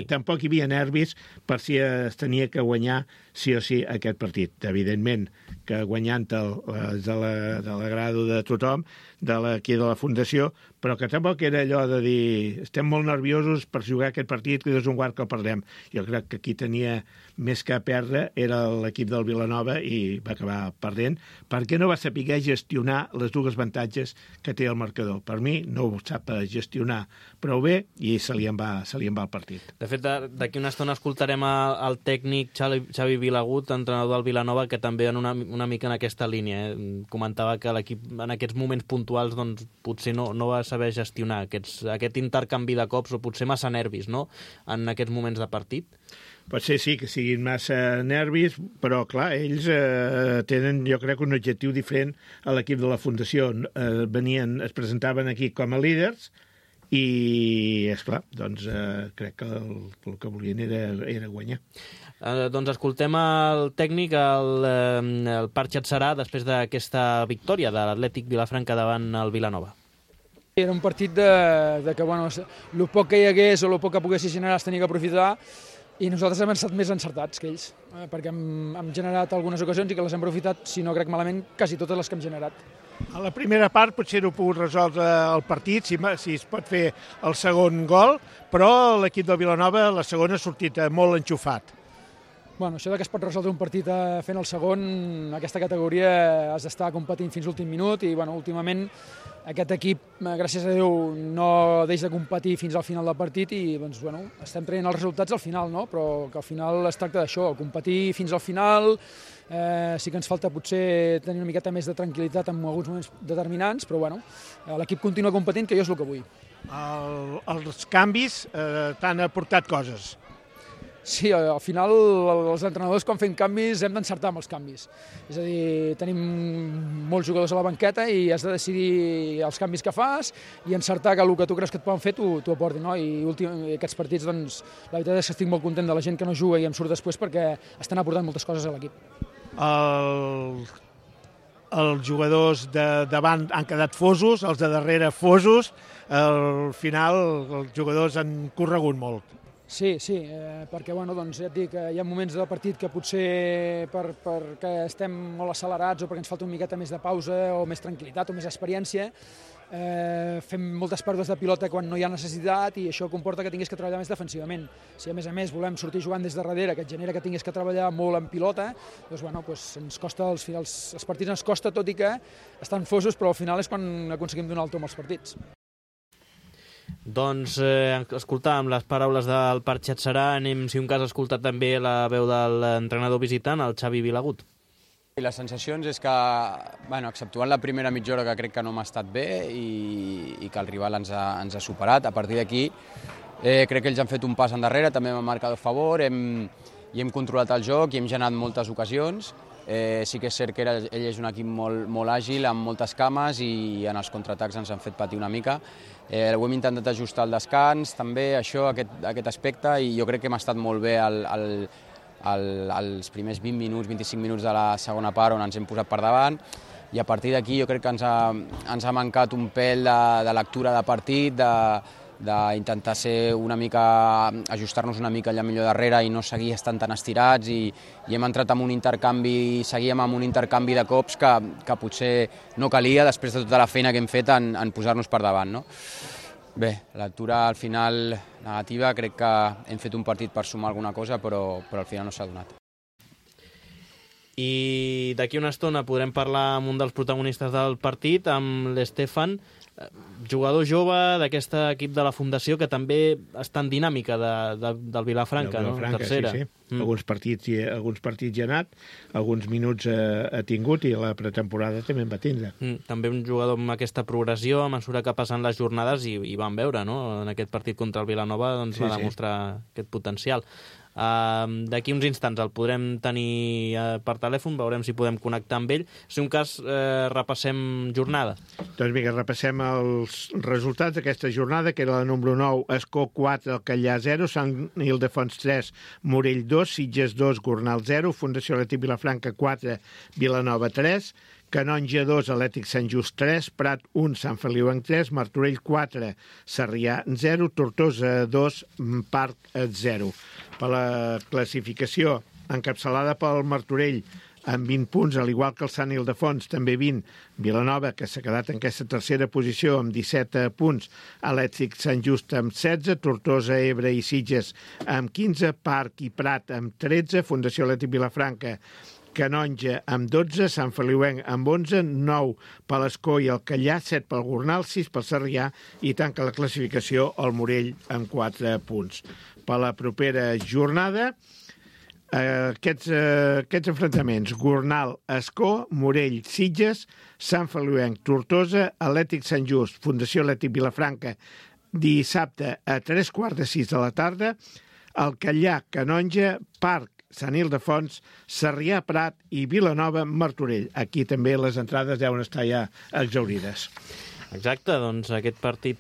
tampoc hi havia nervis per si es tenia que guanyar sí o sí aquest partit. Evidentment que guanyant-el és de l'agrado de tothom, aquí de la Fundació, però que tampoc era allò de dir estem molt nerviosos per jugar aquest partit, que és un guard que el perdem. Jo crec que qui tenia més que perdre era l'equip del Vilanova i va acabar perdent, perquè no va saber gestionar les dues avantatges que té el marcador. Per mi no ho sap gestionar prou bé i se li en va el partit. De fet, d'aquí una estona escoltarem el tècnic Xavi Vilagut, entrenador del Vilanova, que també una mica en aquesta línia. Comentava que l'equip en aquests moments puntuals potser no va saber gestionar aquest intercanvi de cops, o potser massa nervis, no?, en aquests moments de partit. Pot ser, sí, que siguin massa nervis, però, clar, ells tenen, jo crec, un objectiu diferent a l'equip de la Fundació. Es presentaven aquí com a líders i, esclar, doncs crec que el que volien era guanyar. Doncs escoltem el tècnic, el Parchi Atzerà, després d'aquesta victòria de l'Atlètic Vilafranca davant el Vilanova. Era un partit de que, bueno, el poc que hi hagués o el poc que poguessis generar es tenia que aprofitar, i nosaltres hem estat més encertats que ells, perquè hem generat algunes ocasions i que les hem aprofitat, si no crec malament, quasi totes les que hem generat. A la primera part potser no he pogut resoldre el partit, si es pot fer el segon gol, però l'equip del Vilanova la segona ha sortit molt enxufat. Bueno, això que es pot resoldre un partit fent el segon, en aquesta categoria has d'estar competint fins l'últim minut, i bueno, últimament aquest equip, gràcies a Déu, no deixa de competir fins al final del partit, i doncs, bueno, estem traient els resultats al final, no? Però que al final es tracta d'això, competir fins al final. Sí que ens falta potser tenir una miqueta més de tranquil·litat en alguns moments determinants, però bueno, l'equip continua competint, que jo és el que vull. Els canvis t'han aportat coses. Sí, al final els entrenadors quan fem canvis hem d'encertar amb els canvis. És a dir, tenim molts jugadors a la banqueta i has de decidir els canvis que fas i encertar que el que tu creus que et poden fer t'ho aportin, no? I aquests partits, doncs, la veritat és que estic molt content de la gent que no juga i em surt després, perquè estan aportant moltes coses a l'equip. els jugadors de davant han quedat fosos, els de darrere fosos, al final els jugadors han corregut molt. Sí, perquè doncs ja et dic, hi ha moments del partit que potser perquè estem molt accelerats o perquè ens falta una miqueta més de pausa o més tranquil·litat o més experiència, fem moltes pèrdues de pilota quan no hi ha necessitat i això comporta que tinguis que treballar més defensivament. Si a més volem sortir jugant des de darrere, que et genera que tinguis que treballar molt en pilota, doncs ens costa, els partits ens costa, tot i que estan fosos, però al final és quan aconseguim donar el tom als partits. Doncs escoltàvem les paraules del Parc Xatxarà, anem, si un cas, a escoltar també la veu de l'entrenador visitant, el Xavi Vilagut. Les sensacions és que, exceptuant la primera mitja hora que crec que no m'ha estat bé i que el rival ens ha superat, a partir d'aquí crec que ells han fet un pas endarrere, també m'han marcat a favor, hem controlat el joc i hem generat moltes ocasions. Sí que és cert que ell és un equip molt àgil, amb moltes cames i en els contraatacs ens han fet patir una mica. Ho hem intentat ajustar al descans, també aquest aspecte, i jo crec que hem estat molt bé als primers 20 minuts, 25 minuts de la segona part on ens hem posat per davant, i a partir d'aquí jo crec que ens ha mancat un pèl de lectura de partit, d'intentar ser una mica, ajustar-nos una mica allà millor darrere i no seguir estant tan estirats, i hem entrat en un intercanvi, seguíem amb un intercanvi de cops que potser no calia després de tota la feina que hem fet en posar-nos per davant, no? Bé, la lectura al final negativa, crec que hem fet un partit per sumar alguna cosa, però al final no s'ha donat. I d'aquí una estona podrem parlar amb un dels protagonistes del partit, amb l'Estefan, jugador jove d'aquest equip de la Fundació, que també està en dinàmica del Vilafranca, no? Tercera. Sí. Alguns partits hi ha anat, alguns minuts ha tingut, i la pretemporada també en va tindre. També un jugador amb aquesta progressió a mesura que passen les jornades, i vam veure, no? En aquest partit contra el Vilanova va demostrar aquest potencial. D'aquí uns instants el podrem tenir per telèfon, veurem si podem connectar amb ell. Si un cas, repassem jornada. Doncs vinga, repassem els resultats d'aquesta jornada, que era la número 9, Escó 4, Alcallà 0, Sant Ildefons 3, Morell 2, Sitges 2, Gornal 0, Fundació Atlètic Vilafranca 4, Vilanova 3, Canonja 2, Atlètic Sant Just 3, Prat 1, Sant Feliuenc 3, Martorell 4, Sarrià 0, Tortosa 2, Parc 0. Per la classificació, encapçalada pel Martorell, amb 20 punts, al igual que el Sant Ildefons, també 20. Vilanova, que s'ha quedat en aquesta tercera posició amb 17 punts. Atlètic Sant Just amb 16, Tortosa, Ebre i Sitges amb 15, Parc i Prat amb 13, Fundació Atlètic Vilafranca, Canonja amb 12, Sant Feliuenc amb 11, 9 per l'Escó i el Callà, 7 pel Gornal, 6 pel Sarrià, i tanca la classificació el Morell amb 4 punts. Per la propera jornada, aquests enfrontaments: Gornal, Escó, Morell, Sitges, Sant Feliuenc, Tortosa, Atlètic Sant Just, Fundació Atlètic Vilafranca, dissabte a 3:15 de la tarda, el Callà, Canonja, Parc, Sant Ildefons, Sarrià, Prat i Vilanova, Martorell. Aquí també les entrades deuen estar ja exhaurides. Exacte, doncs aquest partit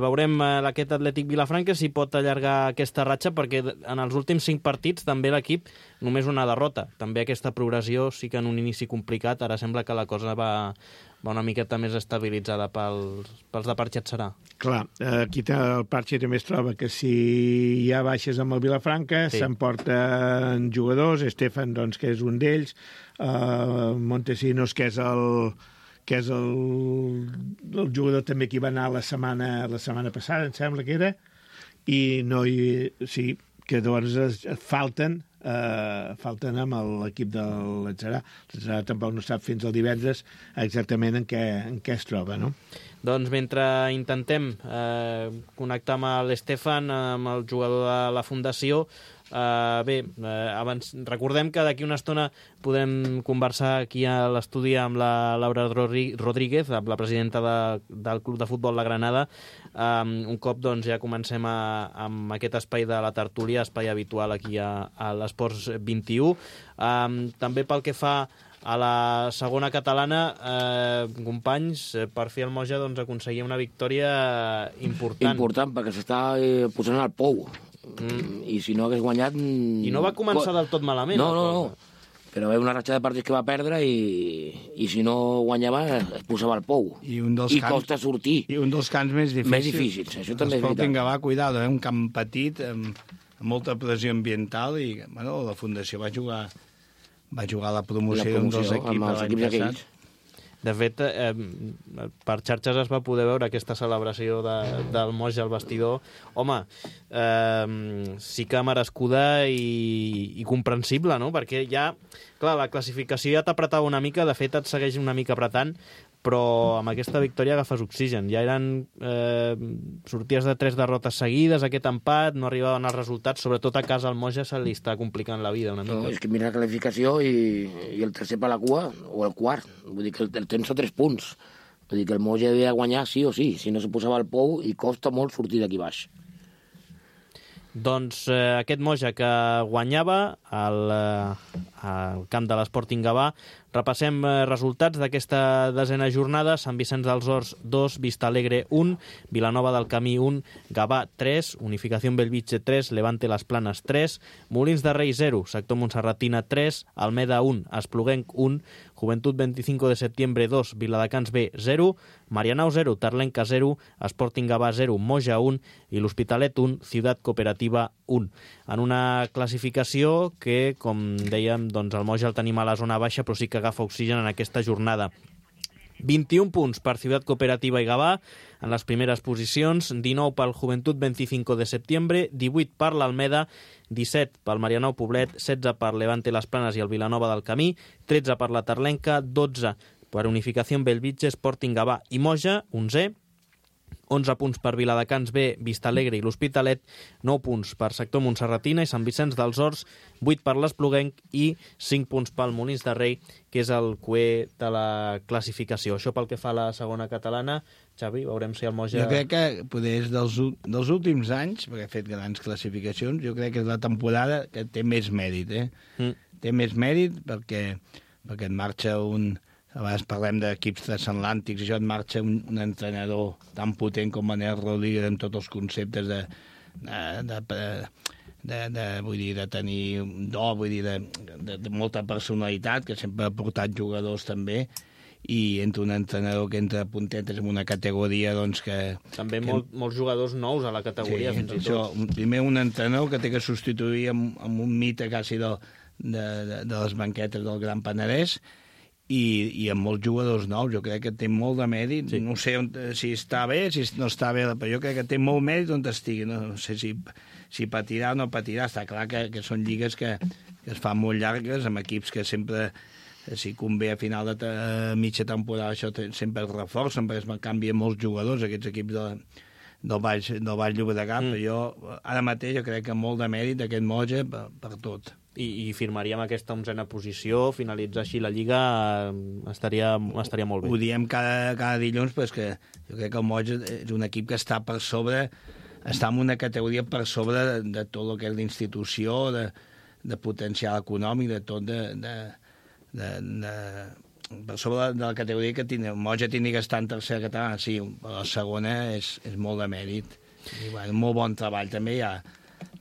veurem aquest Atlètic Vilafranca si pot allargar aquesta ratxa, perquè en els últims 5 partits també l'equip només una derrota. També aquesta progressió sí que en un inici complicat, ara sembla que la cosa va una miqueta més estabilitzada pels de Parc Xatxarà. Clar, aquí el Parc també es troba que si hi ha baixes amb el Vilafranca, s'emporten jugadors, Estefan, doncs, que és un d'ells, Montesinos, que és el jugador també que hi va anar la setmana passada, em sembla que era, sí, que doncs falten amb l'equip de l'Atzarà. L'Atzarà tampoc no sap fins al divendres exactament en què es troba, no? Doncs mentre intentem connectar amb l'Estefan, amb el jugador de la Fundació, abans recordem que d'aquí una estona podem conversar aquí a l'estudi amb la Laura Rodríguez, la presidenta del Club de Futbol La Granada. Un cop doncs, ja comencem amb aquest espai de la tertúlia, espai habitual aquí a l'Esports 21. També pel que fa a la segona catalana, companys, per fi el Moja aconseguia una victòria important. Important, perquè s'està posant al pou. I si no hagués guanyat... I no va començar del tot malament. No. Però va haver una ratxa de partits que va perdre i si no guanyava es posava al pou. I costa sortir. I un dels camps més difícils. Més difícils, això també és veritat. Sporting Gavà, cuidado, un camp petit, amb molta pressió ambiental, i bueno, la Fundació va jugar a la promoció d'un dels equips de l'any passat. De fet, per xarxes es va poder veure aquesta celebració del Moja al vestidor. Home, sí que merescuda i comprensible, no? Perquè ja, clar, la classificació ja t'apretava una mica, de fet et segueix una mica apretant, però amb aquesta victòria agafes oxigen. Ja eren sorties de 3 derrotes seguides, aquest empat, no arribaven els resultats, sobretot a casa al Moja se li està complicant la vida una mica. No, és que mira la classificació i el tercer per la cua, o el quart, vull dir que el temps a 3 punts. Vull dir que el Moja havia de guanyar sí o sí, si no se posava al pou, i costa molt sortir d'aquí baix. Doncs aquest Moja que guanyava al camp de l'Sporting Gavà. Repassem resultats d'aquesta desena jornada. Sant Vicenç dels Horts 2, Vista Alegre 1, Vilanova del Camí 1, Gavà 3, Unificación Bellvitge 3, Levante Las Planes 3, Molins de Rei 0, Sector Montserratina 3, Almeda 1, Espluguenc 1, Juventud 25 de septiembre 2, Viladecans B 0, Marianao 0, Tarlenca 0, Sporting Gavà 0, Moja 1 i l'Hospitalet 1, Ciutat Cooperativa 1. En una classificació que, com dèiem, doncs el Moja el tenim a la zona baixa, però sí que agafa oxigen en aquesta jornada. 21 punts per Ciutat Cooperativa i Gavà en les primeres posicions, 19 pel Juventud 25 de septiembre, 18 per l'Almeda, 17 pel Marianao Poblet, 16 per Levante Las Planes i el Vilanova del Camí, 13 per la Tarlenca, 12 per Unificación Bellvitge, Sporting Gavà i Moja, 11, 11 punts per Viladecans B, Vista Alegre i l'Hospitalet, 9 punts per Sector Montserratina i Sant Vicenç dels Horts, 8 per l'Espluguenc i 5 punts pel Molins de Rei, que és el cuer de la classificació. Això pel que fa a la segona catalana. Xavi, veurem si el Moja... Jo crec que poder és dels últims anys, perquè ha fet grans classificacions, jo crec que és la temporada que té més mèrit, Té més mèrit perquè et marxa un... A vegades parlem d'equips transatlàntics, això et marxa un entrenador tan potent com Manel Rodríguez amb tots els conceptes de tenir un do, vull dir, de molta personalitat, que sempre ha portat jugadors també, i entre un entrenador que entra puntetes en una categoria, doncs que... També molts jugadors nous a la categoria, fins i tot. Primer un entrenador que té que substituir amb un mite quasi de les banquetes del Gran Penedès, i amb molts jugadors nous. Jo crec que té molt de mèrit. Sí. No sé si està bé, si no està bé, però jo crec que té molt mèrit on estigui. No sé si patirà o no patirà. Està clar que són lligues que es fan molt llargues, amb equips que sempre, si convé a final de mitja temporada, això sempre es reforcen, perquè es canvien molts jugadors, aquests equips del Baix Llobregat, però jo ara mateix jo crec que molt de mèrit d'aquest Moja per tot. I firmaríem aquesta 11a posició, finalitzar així la Lliga estaria molt bé. Ho diem cada dilluns, però és que jo crec que el Moja és un equip que està per sobre, està en una categoria per sobre de tot el que és l'institució, de potencial econòmic, de tot, per sobre de la categoria que el Moja tingui que estar en tercera catalana, sí, però la segona és molt de mèrit. I, bueno, molt bon treball també hi ha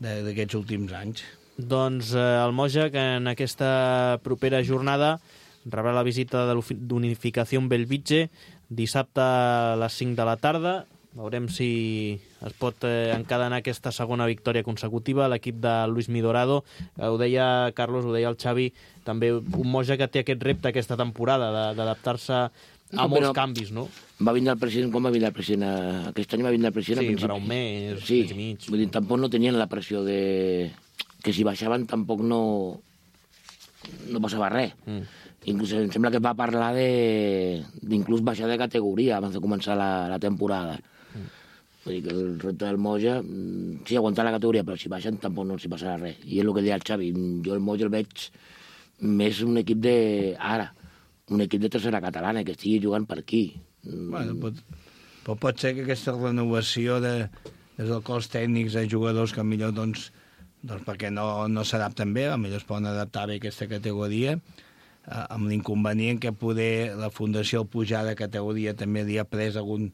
d'aquests últims anys. Doncs el Moja, que en aquesta propera jornada rebrà la visita d'Unificació Bellvitge dissabte a les 5 de la tarda. Veurem si es pot encadenar aquesta segona victòria consecutiva. L'equip de Luis Midorado, ho deia Carlos, ho deia el Xavi, també un Moja que té aquest repte aquesta temporada d'adaptar-se a molts canvis, no? Va vindre el president, quan va vindre el president? Aquest any va vindre el president a principi. Sí, per un mes, sí, mes i mig. Vull dir, tampoc no tenien la pressió que si baixaven tampoc no passava res. Inclús em sembla que va parlar d'inclús baixar de categoria abans de començar la temporada. Vull dir que el repte del Moja, sí, aguantar la categoria, però si baixen tampoc no s'hi passarà res. I és el que deia el Xavi, jo el Moja el veig més un equip un equip de tercera catalana, que estigui jugant per aquí. Bueno, pot ser que aquesta renovació des dels cos tècnics de jugadors que millor doncs perquè no s'adapten bé, potser es poden adaptar bé a aquesta categoria, amb l'inconvenient que poder la Fundació al pujar de categoria també li ha pres algun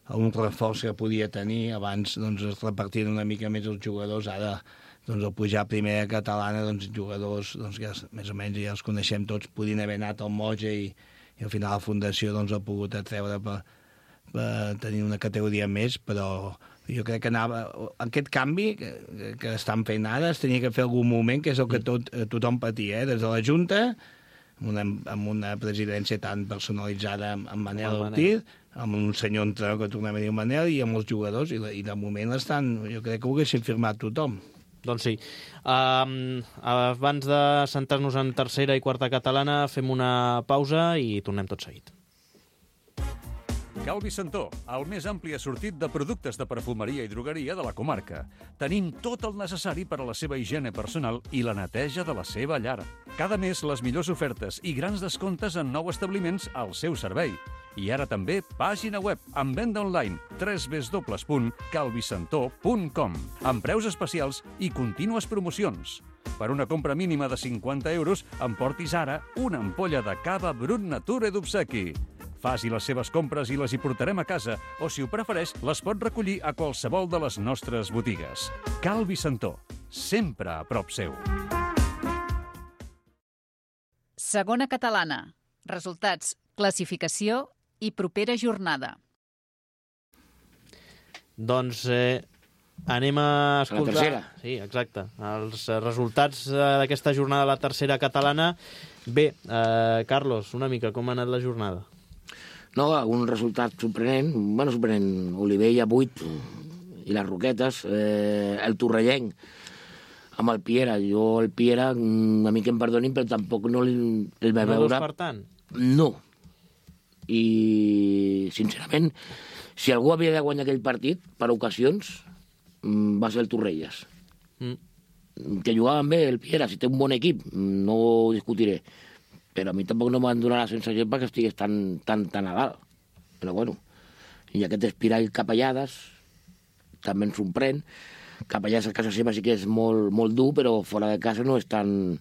reforç que podia tenir, abans doncs es repartien una mica més els jugadors, ara doncs al pujar a primera catalana, doncs jugadors doncs, que més o menys ja els coneixem tots, podien haver anat al Moja i al final la Fundació doncs, ha pogut atreure per tenir una categoria més, però jo crec que aquest canvi que estan fent ara es tenia que fer algun moment, que és el que tothom patia, des de la Junta, amb una presidència tan personalitzada amb Manel Ortiz, amb un senyor entrenador que tornem a dir Manel, i amb els jugadors, i de moment jo crec que ho haguessin firmat tothom. Doncs sí. Abans de centrar-nos en tercera i quarta catalana, fem una pausa i tornem tot seguit. Cal Vicentó, el més ampli assortit de productes de perfumeria i drogueria de la comarca. Tenim tot el necessari per a la seva higiene personal i la neteja de la seva llar. Cada mes les millors ofertes i grans descomptes en nous establiments al seu servei. I ara també pàgina web amb venda online www.calvicentó.com amb preus especials i contínues promocions. Per una compra mínima de 50 euros emportis ara una ampolla de cava Brut Nature d'obsequi. Faci les seves compres i les hi portarem a casa, o si ho prefereix, les pot recollir a qualsevol de les nostres botigues. Cal Vicentó, sempre a prop seu. Segona catalana. Resultats, classificació i propera jornada. Doncs anem a escoltar... La tercera. Sí, exacte. Els resultats d'aquesta jornada de la tercera catalana. Bé, Carlos, una mica, com ha anat la jornada? No, un resultat sorprenent. Bueno, sorprenent. Olivella 8 i les Roquetes. El Torrellenc amb el Piera. Jo el Piera, a mi que em perdonin, però tampoc no el va veure... No dos per tant? No. I, sincerament, si algú havia de guanyar aquell partit, per ocasions, va ser el Torrelles. Que jugaven bé el Piera, si té un bon equip, no ho discutiré. Però a mi tampoc no m'han donat la sensació perquè estigués tan a dalt. Però bueno, i aquest Espirall Capellades també ens sorprèn. Capellades a casa seva sí que és molt dur, però fora de casa no és tan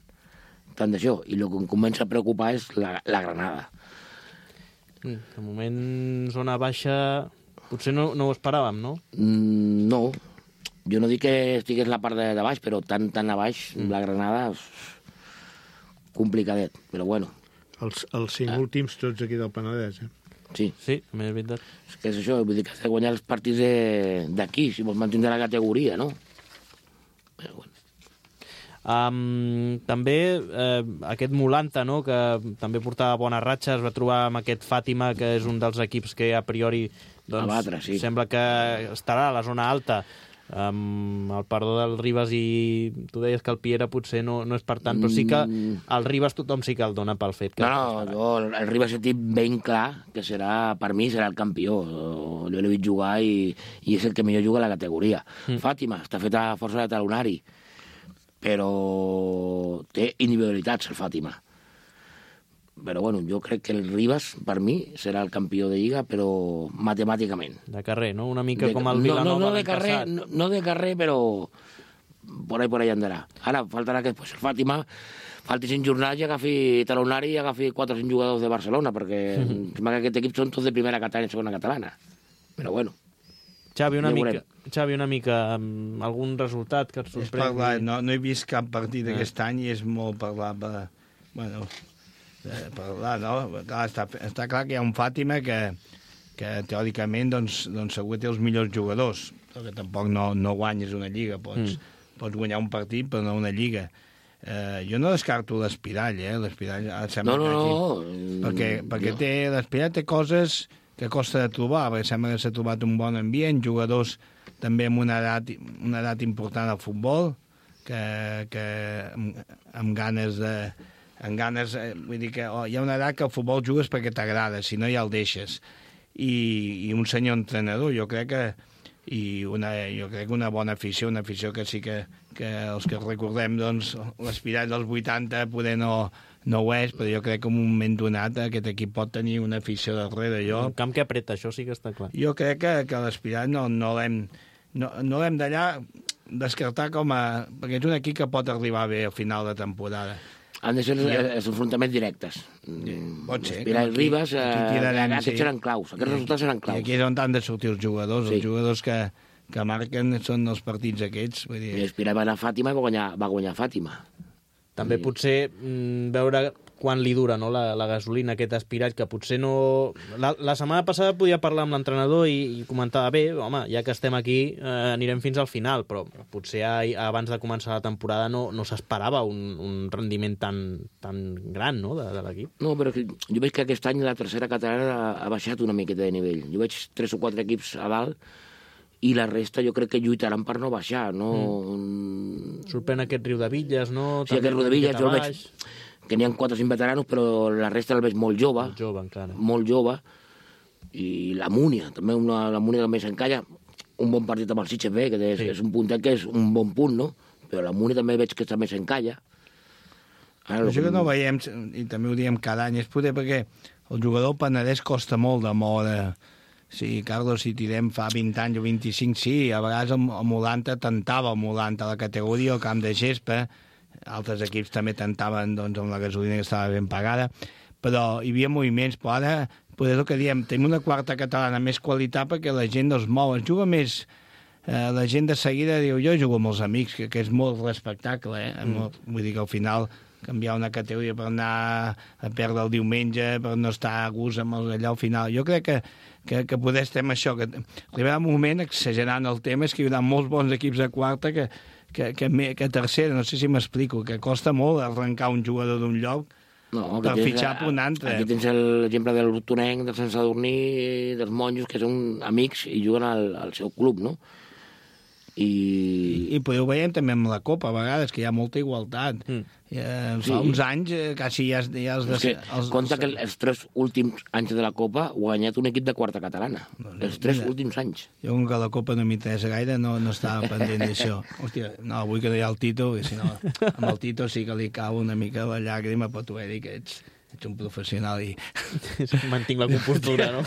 d'això. I el que em comença a preocupar és la Granada. De moment, zona baixa, potser no ho esperàvem, no? No, jo no dic que estigués la part de baix, però tan a baix, la Granada... complicadet, però bueno. Els 5 últims tots aquí del Penedès, Sí. Sí, també és veritat. És que és això, vull dir que has de guanyar els partits d'aquí, si vols mantenir la categoria, no? Però bueno. També aquest Molanta, no?, que també portava bones ratxes, es va trobar amb aquest Fàtima, que és un dels equips que a priori doncs, abatre, sí. Sembla que estarà a la zona alta. Amb el perdó del Ribas, i tu deies que el Piera potser no és per tant, però sí que el Ribas tothom sí que el dona pel fet que... el Ribas he dit ben clar que per mi serà el campió. Jo l'he vist jugar i és el que millor juga a la categoria. Fàtima està fet a força de talonari, però té individualitats el Fàtima. Però bueno, jo crec que el Ribas, per mi, serà el campió de Lliga, però matemàticament. De carrer, no? Una mica com el Vilanova l'any passat. No de carrer, però por ahí andarà. Ara faltarà que el Fàtima falti 5 jornades i agafi talonari i agafi 4 o 5 jugadors de Barcelona, perquè sembla que aquest equip són tots de primera catalana i segona catalana. Però bueno. Xavi, una mica, algun resultat que et sorprengui? No he vist cap partit aquest any i és molt parlar bueno, parlar, no? Està clar que hi ha un Fàtima que teòricament doncs segur té els millors jugadors, però que tampoc no guanyes una lliga. Pots guanyar un partit però no una lliga. Jo no descarto l'Espirall, l'Espirall sembla perquè l'Espirall té coses que costa de trobar, perquè sembla que s'ha trobat un bon ambient, jugadors també amb una edat important al futbol, que amb ganes vull dir que hi ha una edat que el futbol jugues perquè t'agrada, si no ja el deixes. I un senyor entrenador, jo crec que una bona afició, una afició que sí que els que recordem, doncs, l'Espirall dels 80 poder no ho és, però jo crec que en un moment donat aquest equip pot tenir una afició darrere. Un camp que apreta, això sí que està clar. Jo crec que l'Espirall no l'hem d'allà descartar perquè és un equip que pot arribar bé al final de temporada. Han de ser els enfrontaments directes. Pot ser. Espirall Ribas, aquests seran claus. Aquests resultats seran claus. I aquí és on han de sortir els jugadors, els jugadors que que marquen són els partits aquests. Vull dir... I Espiral va anar a Fàtima i va guanyar Fàtima. També potser veure quan li dura, no, la gasolina, aquest aspirat, que potser no... La setmana passada podia parlar amb l'entrenador i comentava, bé, home, ja que estem aquí anirem fins al final, però potser abans de començar la temporada no s'esperava un rendiment tan gran, no, de l'equip. No, però jo veig que aquest any la tercera catalana ha baixat una miqueta de nivell. Jo veig 3 o 4 equips a dalt i la resta jo crec que lluitaran per no baixar, no... Sorprèn aquest Riudebitlles, no? Sí, aquest Riudebitlles jo el veig que n'hi ha 4 o 5 veteranos, però la resta el veig molt jove. Molt jove, encara. Molt jove. I la Múnia, també la Múnia també s'encalla. Un bon partit amb el Sitges B, que és un puntet que és un bon punt, no? Però la Múnia també veig que també s'encalla. Això que no veiem, i també ho diem cada any, és poder perquè el jugador Penedès costa molt de moure. Sí, Carlos, si tirem fa 20 anys o 25, sí, a vegades el Molanta tentava el Molanta a la categoria, al camp de gespa, altres equips també tentaven doncs, amb la gasolina que estava ben pagada, però hi havia moviments, però ara, poder el que diem, tenim una quarta catalana més qualitat perquè la gent no es mou, es juga més, la gent de seguida diu, jo jugo amb els amics, que és molt respectable, vull dir que al final canviar una categoria per anar a perdre el diumenge, per no estar a gust amb allà al final. Jo crec que poder estem això, que arribarà un moment, exagerant el tema, és que hi haurà molts bons equips a quarta que tercera, no sé si m'explico, que costa molt arrencar un jugador d'un lloc per fitxar per un altre. Aquí tens l'exemple del Hortonenc, del Sant Sadurní, dels monjos, que són amics i juguen al seu club, no? I ho veiem també amb la Copa, a vegades, que hi ha molta igualtat. Fa uns anys quasi ja els... Compte que els 3 últims anys de la Copa ho ha guanyat un equip de quarta catalana. Els 3 últims anys. Jo, com que la Copa no m'interessa gaire, no estava pendent d'això. Hòstia, no, avui que no hi ha el Tito, i si no, amb el Tito sí que li cau una mica la llàgrima, però t'ho he dit que ets un professional i... Mantinc la compostura, no?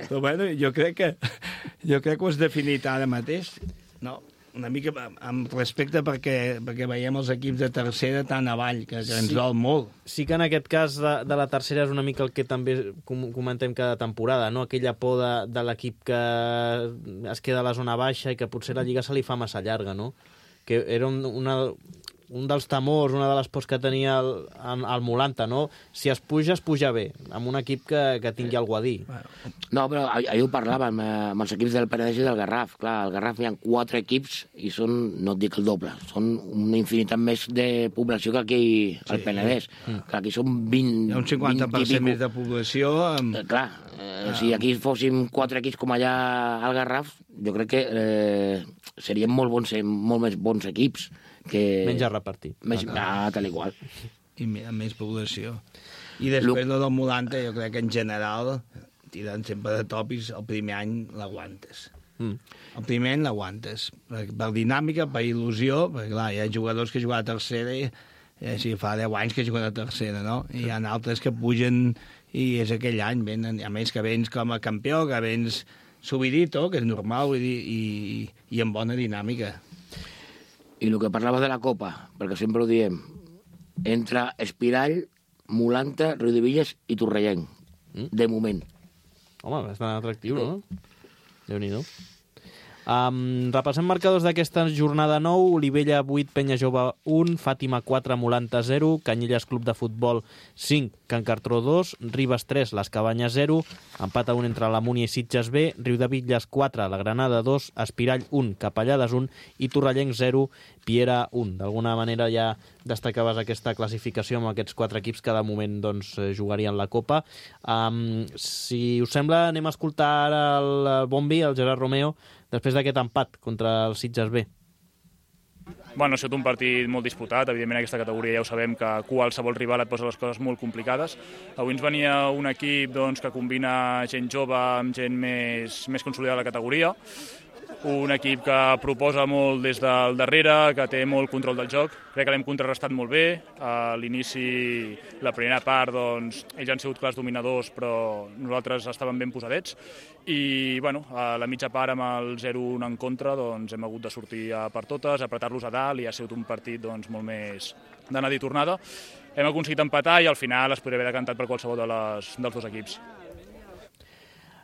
Però bueno, jo crec que ho has definit ara mateix. No, una mica amb respecte perquè veiem els equips de tercera tan avall, que ens dol molt. Sí que en aquest cas de la tercera és una mica el que també comentem cada temporada, no? Aquella por de l'equip que es queda a la zona baixa i que potser la Lliga se li fa massa llarga, no? Que era un dels temors, una de les pors que tenia el Molanta, no? Si es puja bé, amb un equip que tingui alguna a dir. No, però ahir ho parlàvem amb els equips del Penedès i del Garraf. Clar, al Garraf hi ha 4 equips i són, no et dic el doble, són una infinitat més de població que aquí al Penedès. Clar, aquí són 20... Hi ha un 50% més de població. Clar, si aquí fóssim 4 equips com allà al Garraf, jo crec que serien molt més bons equips. Menys a repartir. Tal igual. I amb més població. I després del Molanta, jo crec que en general, tirant sempre de tòpics, el primer any l'aguantes. El primer any l'aguantes. Per dinàmica, per il·lusió, perquè clar, hi ha jugadors que juguen a tercera i fa 10 anys que juguen a tercera, no? I hi ha altres que pugen i és aquell any, a més que vens com a campió, que vens subidito, que és normal, vull dir, i amb bona dinàmica. I el que parlava de la Copa, perquè sempre ho diem, entre Espirall, Molanta, Riudebitlles i Torrellenc, de moment. Home, bastant atractiu, no? Déu-n'hi-do. Repassem marcadors d'aquesta jornada 9. Olivella 8, Penya Jove 1, Fàtima 4, Molanta 0, Canyelles Club de Futbol 5, Can Cartró 2, Ribes 3, Les Cabanyes 0, empat a 1 entre la Múnia i Sitges B, Riudebitlles 4, la Granada 2, Espirall 1, Capellades 1 i Torrellenc 0, Piera 1. D'alguna manera ja destacaves aquesta classificació amb aquests 4 equips que de moment doncs, jugarien la Copa. Si us sembla, anem a escoltar ara el Bombi, el Gerard Romeo, després d'aquest empat contra el Sitges B. Bueno, ha estat un partit molt disputat, evidentment aquesta categoria ja ho sabem que qualsevol rival et posa les coses molt complicades. Avui ens venia un equip doncs, que combina gent jove amb gent més consolidada a la categoria, un equip que proposa molt des del darrere, que té molt control del joc. Crec que l'hem contrarrestat molt bé. A l'inici, la primera part, doncs, ells han sigut clars dominadors, però nosaltres estàvem ben posadets. I bueno, a la mitja part, amb el 0-1 en contra, doncs, hem hagut de sortir per totes, apretar-los a dalt, i ha sigut un partit doncs, molt més d'anada i tornada. Hem aconseguit empatar i al final es podria haver decantat per qualsevol dels dos equips.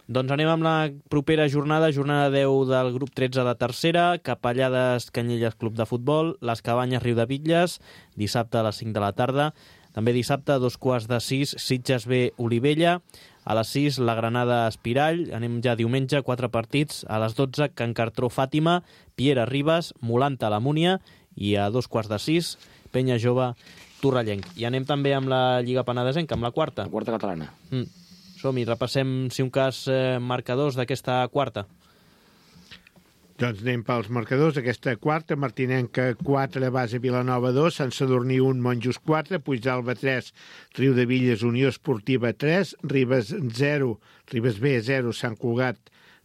Doncs anem amb la propera jornada 10 del grup 13 de tercera, Capellades Canyelles Club de Futbol, Les Cabanyes Riudebitlles, dissabte a les 5 de la tarda. També dissabte a 5:45, Sitges B Olivella, a les 6 la Granada Espirall, anem ja diumenge, 4 partits, a les 12 Can Cartró Fàtima, Piera Ribes, Molanta la Múnia i a 5:45 Penya Jove Torrellenc. I anem també amb la Lliga Penedesenca, amb la quarta. La quarta catalana. Som-hi, repassem, si un cas, marcadors d'aquesta quarta. Doncs anem pels marcadors. Aquesta quarta, Martinenca 4, Base Vilanova 2, Sant Sadurní 1, Monjos 4, Puigdàlber 3, Riudebitlles Unió Esportiva 3, Ribes B 0, Sant Cugat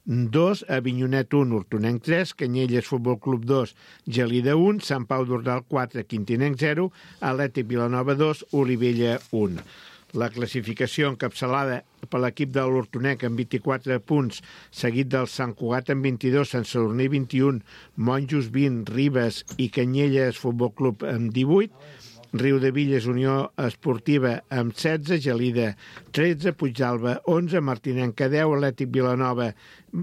2, Avinyonet 1, Hortonenc 3, Canyelles Futbol Club 2, Gelida 1, Sant Pau d'Ordal 4, Quintinenc 0, Atlètic Vilanova 2, Olivella 1. La classificació encapçalada per l'equip de l'Hortonenc amb 24 punts, seguit del Sant Cugat amb 22, Sant Sadurní 21, Monjos 20, Ribes i Canyelles Futbol Club amb 18, Riudebitlles Unió Esportiva amb 16, Gelida 13, Puigdàlber 11, Martinenca 10, Atlètic Vilanova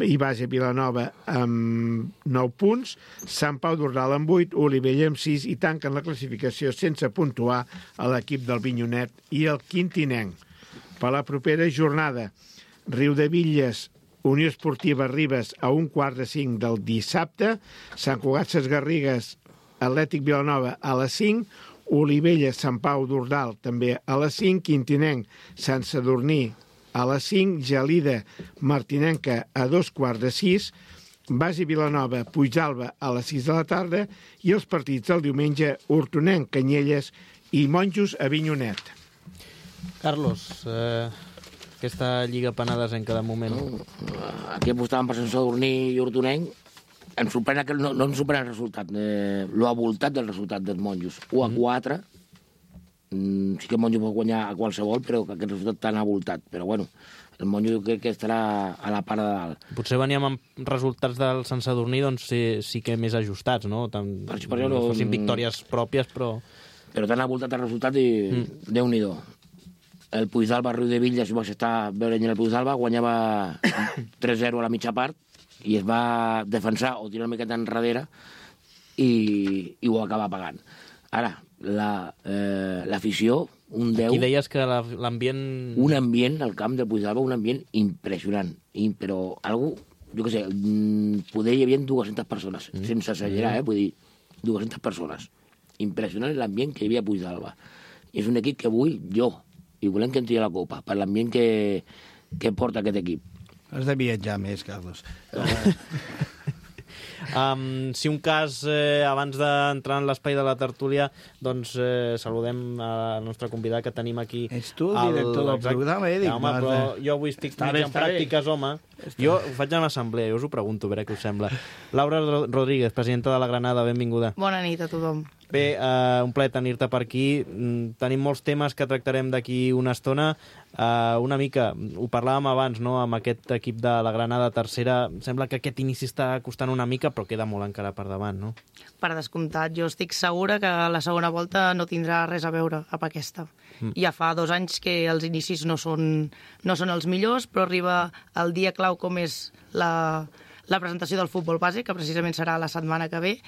i Base Vilanova amb 9 punts, Sant Pau d'Ordal amb 8, Olivella amb 6 i tanquen la classificació sense puntuar a l'equip del Vinyonet i el Quintinenc. Per la propera jornada, Riudebitlles Unió Esportiva Ribes a 4:45 del dissabte, Sant Cugat Ses Garrigues Atlètic Vilanova a les 5, Olivella, Sant Pau d'Ordal, també a les 5, Quintinenc, Sant Sadurní, a les 5, Gelida, Martinenca, a 5:15, Base Vilanova, Puigdàlber, a les 6 de la tarda, i els partits del diumenge, Hortonenc, Canyelles i Monjos, Avinyonet. Carlos, aquesta Lliga Penedesenca de moment. Aquí apostàvem per Sant Sadurní i Hortonenc. Ens sorprèn no ens sorprèn el resultat, lo voltat del resultat dels Monjos. 1-4, sí que el Monjo pot guanyar a qualsevol, però que aquest resultat tan avoltat. Però bueno, el Monjo jo crec que estarà a la part de dalt. Potser veníem amb resultats del Sant Sadurní, doncs sí que més ajustats, no? No fossin victòries pròpies, però... Però tan avoltat el resultat i Déu-n'hi-do. El Puigdàlber Riudebitlles, vaig estar veient el Puigdàlber, guanyava 3-0 a la mitja part, i es va defensar o tirar una miqueta enrere i ho acaba pagant. Ara, l'afició, un 10... Aquí deies que l'ambient... Un ambient al camp del Puigdàlber, un ambient impressionant, però algú, jo què sé, poder hi havia 200 persones, sense exagerar, vull dir, 200 persones. Impressionant l'ambient que hi havia a Puigdàlber. És un equip que vull jo, i volem que entri a la Copa, per l'ambient que porta aquest equip. Has de viatjar més, Carlos. Si un cas, abans d'entrar en l'espai de la tertúlia, doncs saludem al nostre convidat que tenim aquí. Ets tu el director del programa, dic. Home, però jo avui estic mig en pràctiques, home. Jo ho faig a l'assemblea, jo us ho pregunto, a veure què us sembla. Laura Rodríguez, presidenta de la Granada, benvinguda. Bona nit a tothom. Bé, un plaer tenir-te per aquí. Tenim molts temes que tractarem d'aquí una estona. Una mica, ho parlàvem abans, no?, amb aquest equip de la Granada tercera. Sembla que aquest inici està costant una mica, però queda molt encara per davant, no? Per descomptat, jo estic segura que la segona volta no tindrà res a veure amb aquesta. Ja fa 2 anys que els inicis no són els millors, però arriba el dia clau com és la presentació del futbol base, que precisament serà la setmana que ve,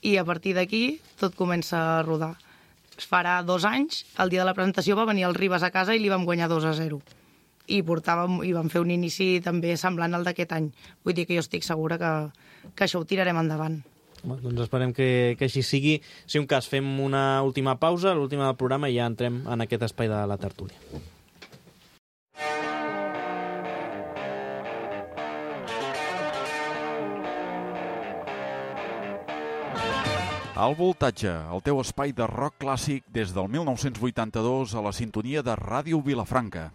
i a partir d'aquí tot comença a rodar. Farà 2 anys, el dia de la presentació va venir el Ribes a casa i li vam guanyar 2-0. I vam fer un inici també semblant al d'aquest any. Vull dir que jo estic segura que això ho tirarem endavant. Doncs esperem que així sigui. Si un cas, fem una última pausa, l'última del programa, i ja entrem en aquest espai de la tertúlia. Al Voltatge, el teu espai de rock clàssic des del 1982 a la sintonia de Ràdio Vilafranca.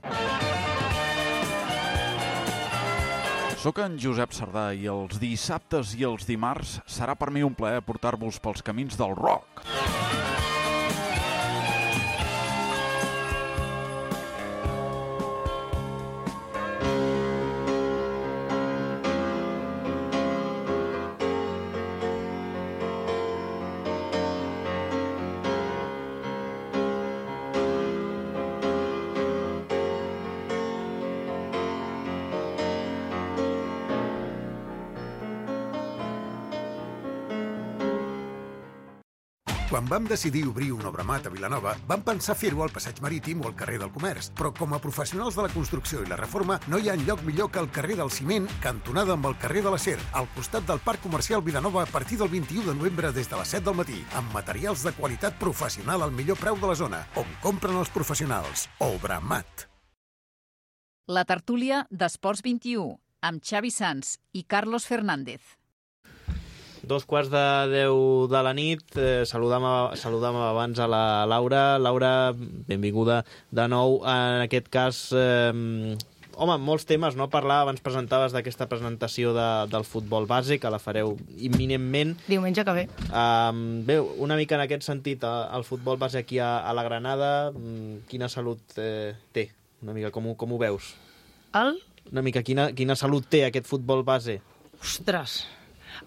Soc en Josep Sardà i els dissabtes i els dimarts serà per mi un plaer portar-vos pels camins del rock. Quan vam decidir obrir un Obramat a Vilanova, vam pensar fer-ho al Passeig Marítim o al carrer del Comerç, però com a professionals de la construcció i la reforma no hi ha enlloc millor que el carrer del Ciment, cantonada amb el carrer de l'Acer, al costat del Parc Comercial Vilanova a partir del 21 de novembre des de les 7 del matí, amb materials de qualitat professional al millor preu de la zona, on compren els professionals. Obramat. La tertúlia d'Esports 21, amb Xavi Sans i Carlos Fernández. 2:45 de la nit. Saludam abans a la Laura. Laura, benvinguda de nou. En aquest cas, molts temes, no? Abans presentaves d'aquesta presentació del futbol base, que la fareu imminentment. Diumenge que ve. Bé, una mica en aquest sentit, el futbol base aquí a la Granada, quina salut té? Una mica, com ho veus? Una mica, quina salut té aquest futbol base? Ostres!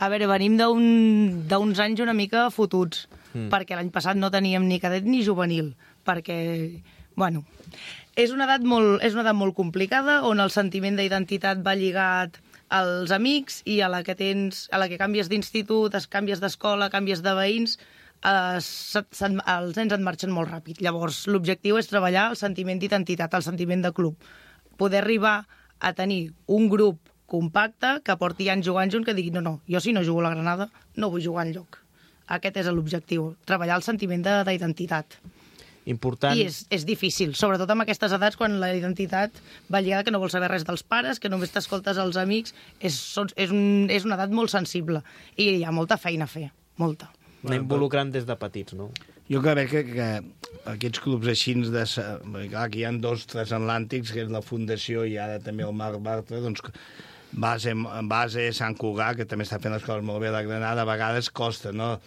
A veure, venim d'uns anys una mica fotuts, perquè l'any passat no teníem ni cadet ni juvenil, perquè, bueno, és una edat molt complicada, on el sentiment d'identitat va lligat als amics i a la que canvies d'institut, canvies d'escola, canvies de veïns, els nens et marxen molt ràpid. Llavors, l'objectiu és treballar el sentiment d'identitat, el sentiment de club. Poder arribar a tenir un grup compacte que porti anys jugant junt, que digui no, jo si no jugo a la Granada no vull jugar enlloc. Aquest és l'objectiu, treballar el sentiment d'identitat. Important. I és difícil, sobretot amb aquestes edats, quan la identitat va lligada que no vols saber res dels pares, que només t'escoltes als amics. És una edat molt sensible i hi ha molta feina a fer, molta. Anar involucrant des de petits, no? Jo crec que aquests clubs així, clar, que hi ha 2 transatlàntics, que és la Fundació i ara també el Marc Bartra, doncs base Sant Cugat, que també està fent les coses molt bé a la Granada, a vegades costa, no?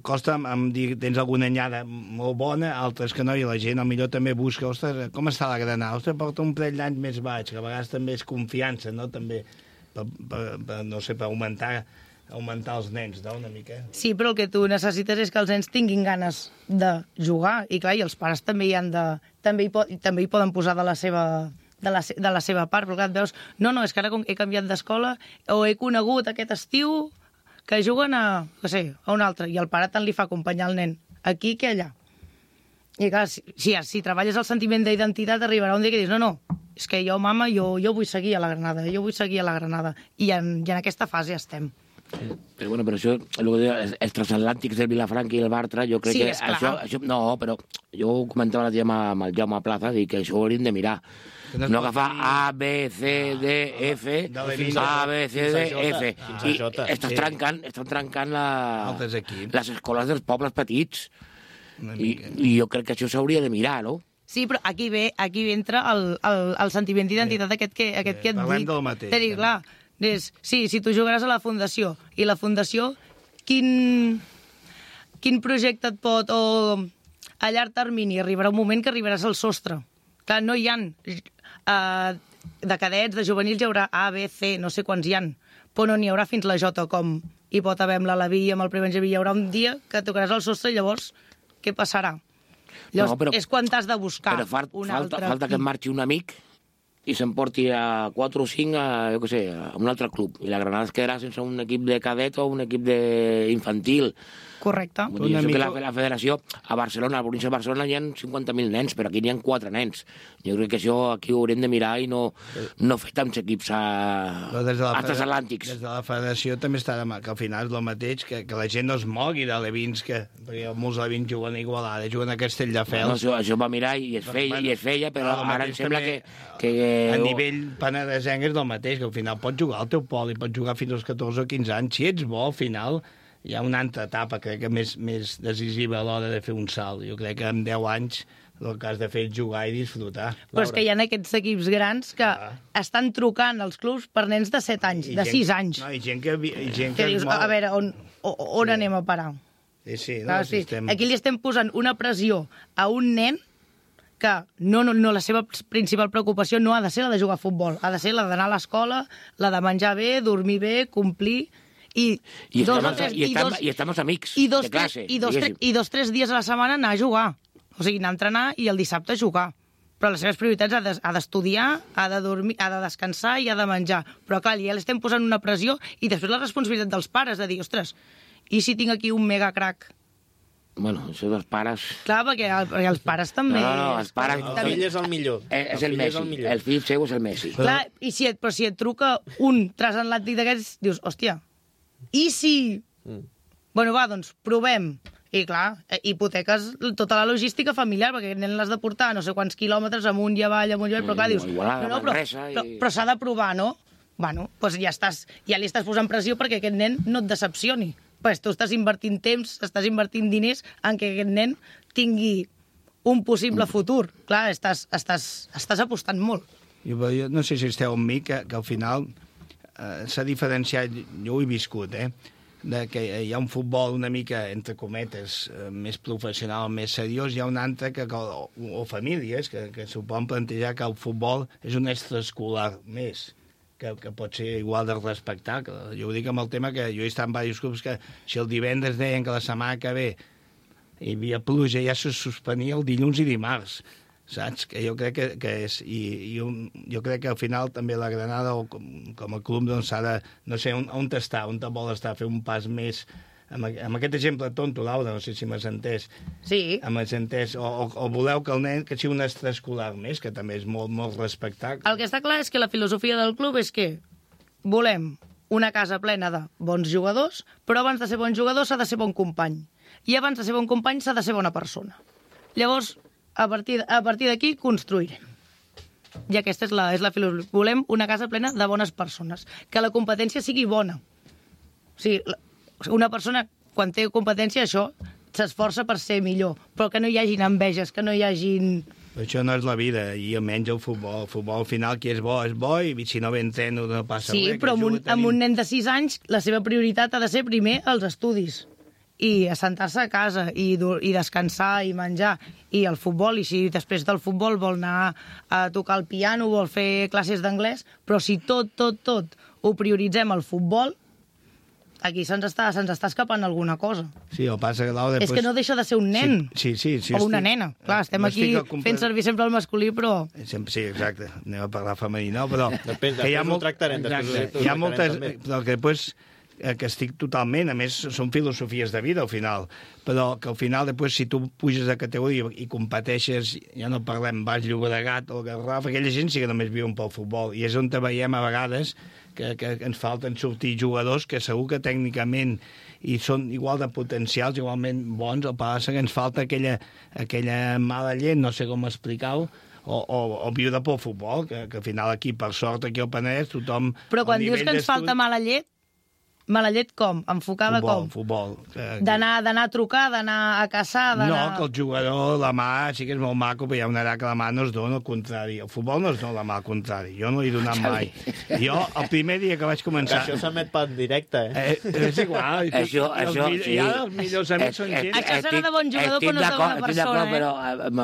Costa em dir, tens alguna anyada molt bona, altres que no, i la gent millor també busca, ostres, com està la Granada? Ostres, porta un parell d'anys més baix, que a vegades també és confiança, no? També, per augmentar els nens, no? Una mica. Sí, però el que tu necessites és que els nens tinguin ganes de jugar, i clar, i els pares també també hi poden posar de la seva part, però clar, et veus, no, és que ara he canviat d'escola o he conegut aquest estiu que juguen a un altre, i el pare tant li fa acompanyar el nen aquí que allà. I clar, si treballes el sentiment d'identitat, arribarà un dia que dius, no, és que jo, mama, jo vull seguir a la Granada, i en aquesta fase estem. Però bueno, però això, els transatlàntics del Vilafranca i el Bartra, jo crec que això... No, però jo ho comentava l'altre dia amb el Jaume Plaza, dic que això ho hauríem de mirar. No agafar A, B, C, D, F, A, B, C, D, F. I estan trencant les escoles dels pobles petits. I jo crec que això s'hauria de mirar, no? Sí, però aquí entra el sentiment d'identitat aquest que et dic. Parlem del mateix. Clar, sí, si tu jugaràs a la Fundació, i la Fundació, quin projecte et pot, o a llarg termini, arribarà un moment que arribaràs al sostre. Clar, no hi ha de cadets, de juvenils, hi haurà A, B, C, no sé quants hi ha, però no n'hi haurà fins la J, com hi pot haver amb l'Alaví i amb el Prebenjaví. Hi haurà un dia que tocaràs al sostre i llavors què passarà? Llavors, és quan t'has de buscar un altre. Falta que marxi un amic i s'emporti a 4 o 5 a un altre club. I la Granada es quedarà sense un equip de cadet o un equip d'infantil. Correcte. La federació, a Barcelona, a la província de Barcelona, hi ha 50.000 nens, però aquí n'hi ha 4 nens. Jo crec que això aquí ho haurem de mirar i no fer tants equips transatlàntics. Des de la federació també està que al final és el mateix, que la gent no es mogui d'alevins, perquè molts alevins juguen a Igualada, juguen a Castelldefels. Això va mirar i es feia, però ara em sembla que... A nivell penedesenc és el mateix, que al final pots jugar al teu poli, pots jugar fins als 14 o 15 anys. Si ets bo, al final hi ha una altra etapa, crec que més decisiva a l'hora de fer un salt. Jo crec que en 10 anys el que has de fer és jugar i disfrutar. Però és que hi ha aquests equips grans que estan trucant als clubs per nens de 7 anys, de 6 anys. No, i gent que dius, a veure, on anem a parar? Sí. Aquí li estem posant una pressió a un nen que no, la seva principal preocupació no ha de ser la de jugar a futbol, ha de ser la d'anar a l'escola, la de menjar bé, dormir bé, complir... I estamos amics de classe. I 2-3 dies a la setmana anar a jugar. O sigui, anar a entrenar i el dissabte a jugar. Però les seves prioritats ha d'estudiar, ha de dormir, ha de descansar i ha de menjar. Però clar, ja l'estem posant una pressió i després la responsabilitat dels pares de dir, ostres, i si tinc aquí un mega crack Bueno, això dels pares... Clar, perquè els pares també... No, els pares... El fill és el millor. És el Messi. El fill seu és el Messi. Clar, però si et truca un transatlàntic d'aquests, dius, hòstia, i si... Bueno, va, doncs, provem. I clar, hipoteques tota la logística familiar, perquè aquest nen l'has de portar no sé quants quilòmetres amunt i avall, però clar, dius... Però s'ha de provar, no? Bueno, doncs ja li estàs posant pressió perquè aquest nen no et decepcioni. Pues tu estàs invertint temps, estàs invertint diners en què aquest nen tingui un possible futur. Clar, estàs apostant molt. Jo no sé si esteu amb mi, que al final s'ha diferenciat, jo ho he viscut, que hi ha un futbol una mica, entre cometes, més professional, més seriós, hi ha un altre o famílies que s'ho poden plantejar que el futbol és un extraescolar més, que pot ser igual de respectar. Jo ho dic amb el tema que jo he estat en diversos clubs que si el divendres deien que la setmana que ve hi havia pluja, ja se suspenia el dilluns i dimarts, saps? Que jo crec que és... I jo crec que al final també la Granada, com a club, doncs s'ha de... No sé, on està, on te vol estar, fer un pas més... Amb aquest exemple tonto, Laura, no sé si m'has entès. Sí. M'has entès. O voleu que el nen que sigui un extraescolar més, que també és molt, molt respectat. El que està clar és que la filosofia del club és que volem una casa plena de bons jugadors, però abans de ser bon jugador s'ha de ser bon company. I abans de ser bon company s'ha de ser bona persona. Llavors, a partir d'aquí, construirem. I aquesta és la filosofia. Volem una casa plena de bones persones. Que la competència sigui bona. O sigui, una persona, quan té competència, això s'esforça per ser millor, però que no hi hagin enveges, que no hi hagin... Això no és la vida, i almenys el futbol. El futbol, al final, qui és bo, i si no ve entreno no passa res. Sí, però amb un nen de 6 anys, la seva prioritat ha de ser primer els estudis, i assentar-se a casa, i descansar, i menjar, i el futbol, i si després del futbol vol anar a tocar el piano, vol fer classes d'anglès, però si tot ho prioritzem al futbol, aquí se'ns està escapant alguna cosa. Sí, el passa que Laura... És que no deixa de ser un nen. Sí, o una nena. Clar, estem aquí fent servir sempre el masculí, però... Sí, exacte. Anem a parlar femení, no? Però... Després ho tractarem. Hi ha moltes... Però que després... que estic totalment, a més són filosofies de vida al final, però que al final després si tu puges de categoria i competeixes, ja no parlem Baix Llobregat o Garraf, aquella gent sí que només viuen pel futbol, i és on veiem a vegades que ens falten sortir jugadors que segur que tècnicament i són igual de potencials, igualment bons, el que passa que ens falta aquella mala llet, no sé com explicar-ho, o viure pel futbol, que al final aquí, per sort, aquí al Penedès, tothom... Però quan dius que ens falta mala llet com? Enfocada com? Futbol. D'anar a trucar, d'anar a caçar, No, que el jugador, la mà, sí que és molt maco, però hi ha una edat que la mà no es dona, al contrari. El futbol no es dona la mà, al contrari. Jo no he donat mai. Jo, el primer dia que vaig començar... Això s'emet per directe, És igual. Això, sí. Ja els millors amics són gent... Això serà de bon jugador, però no és de bona persona, però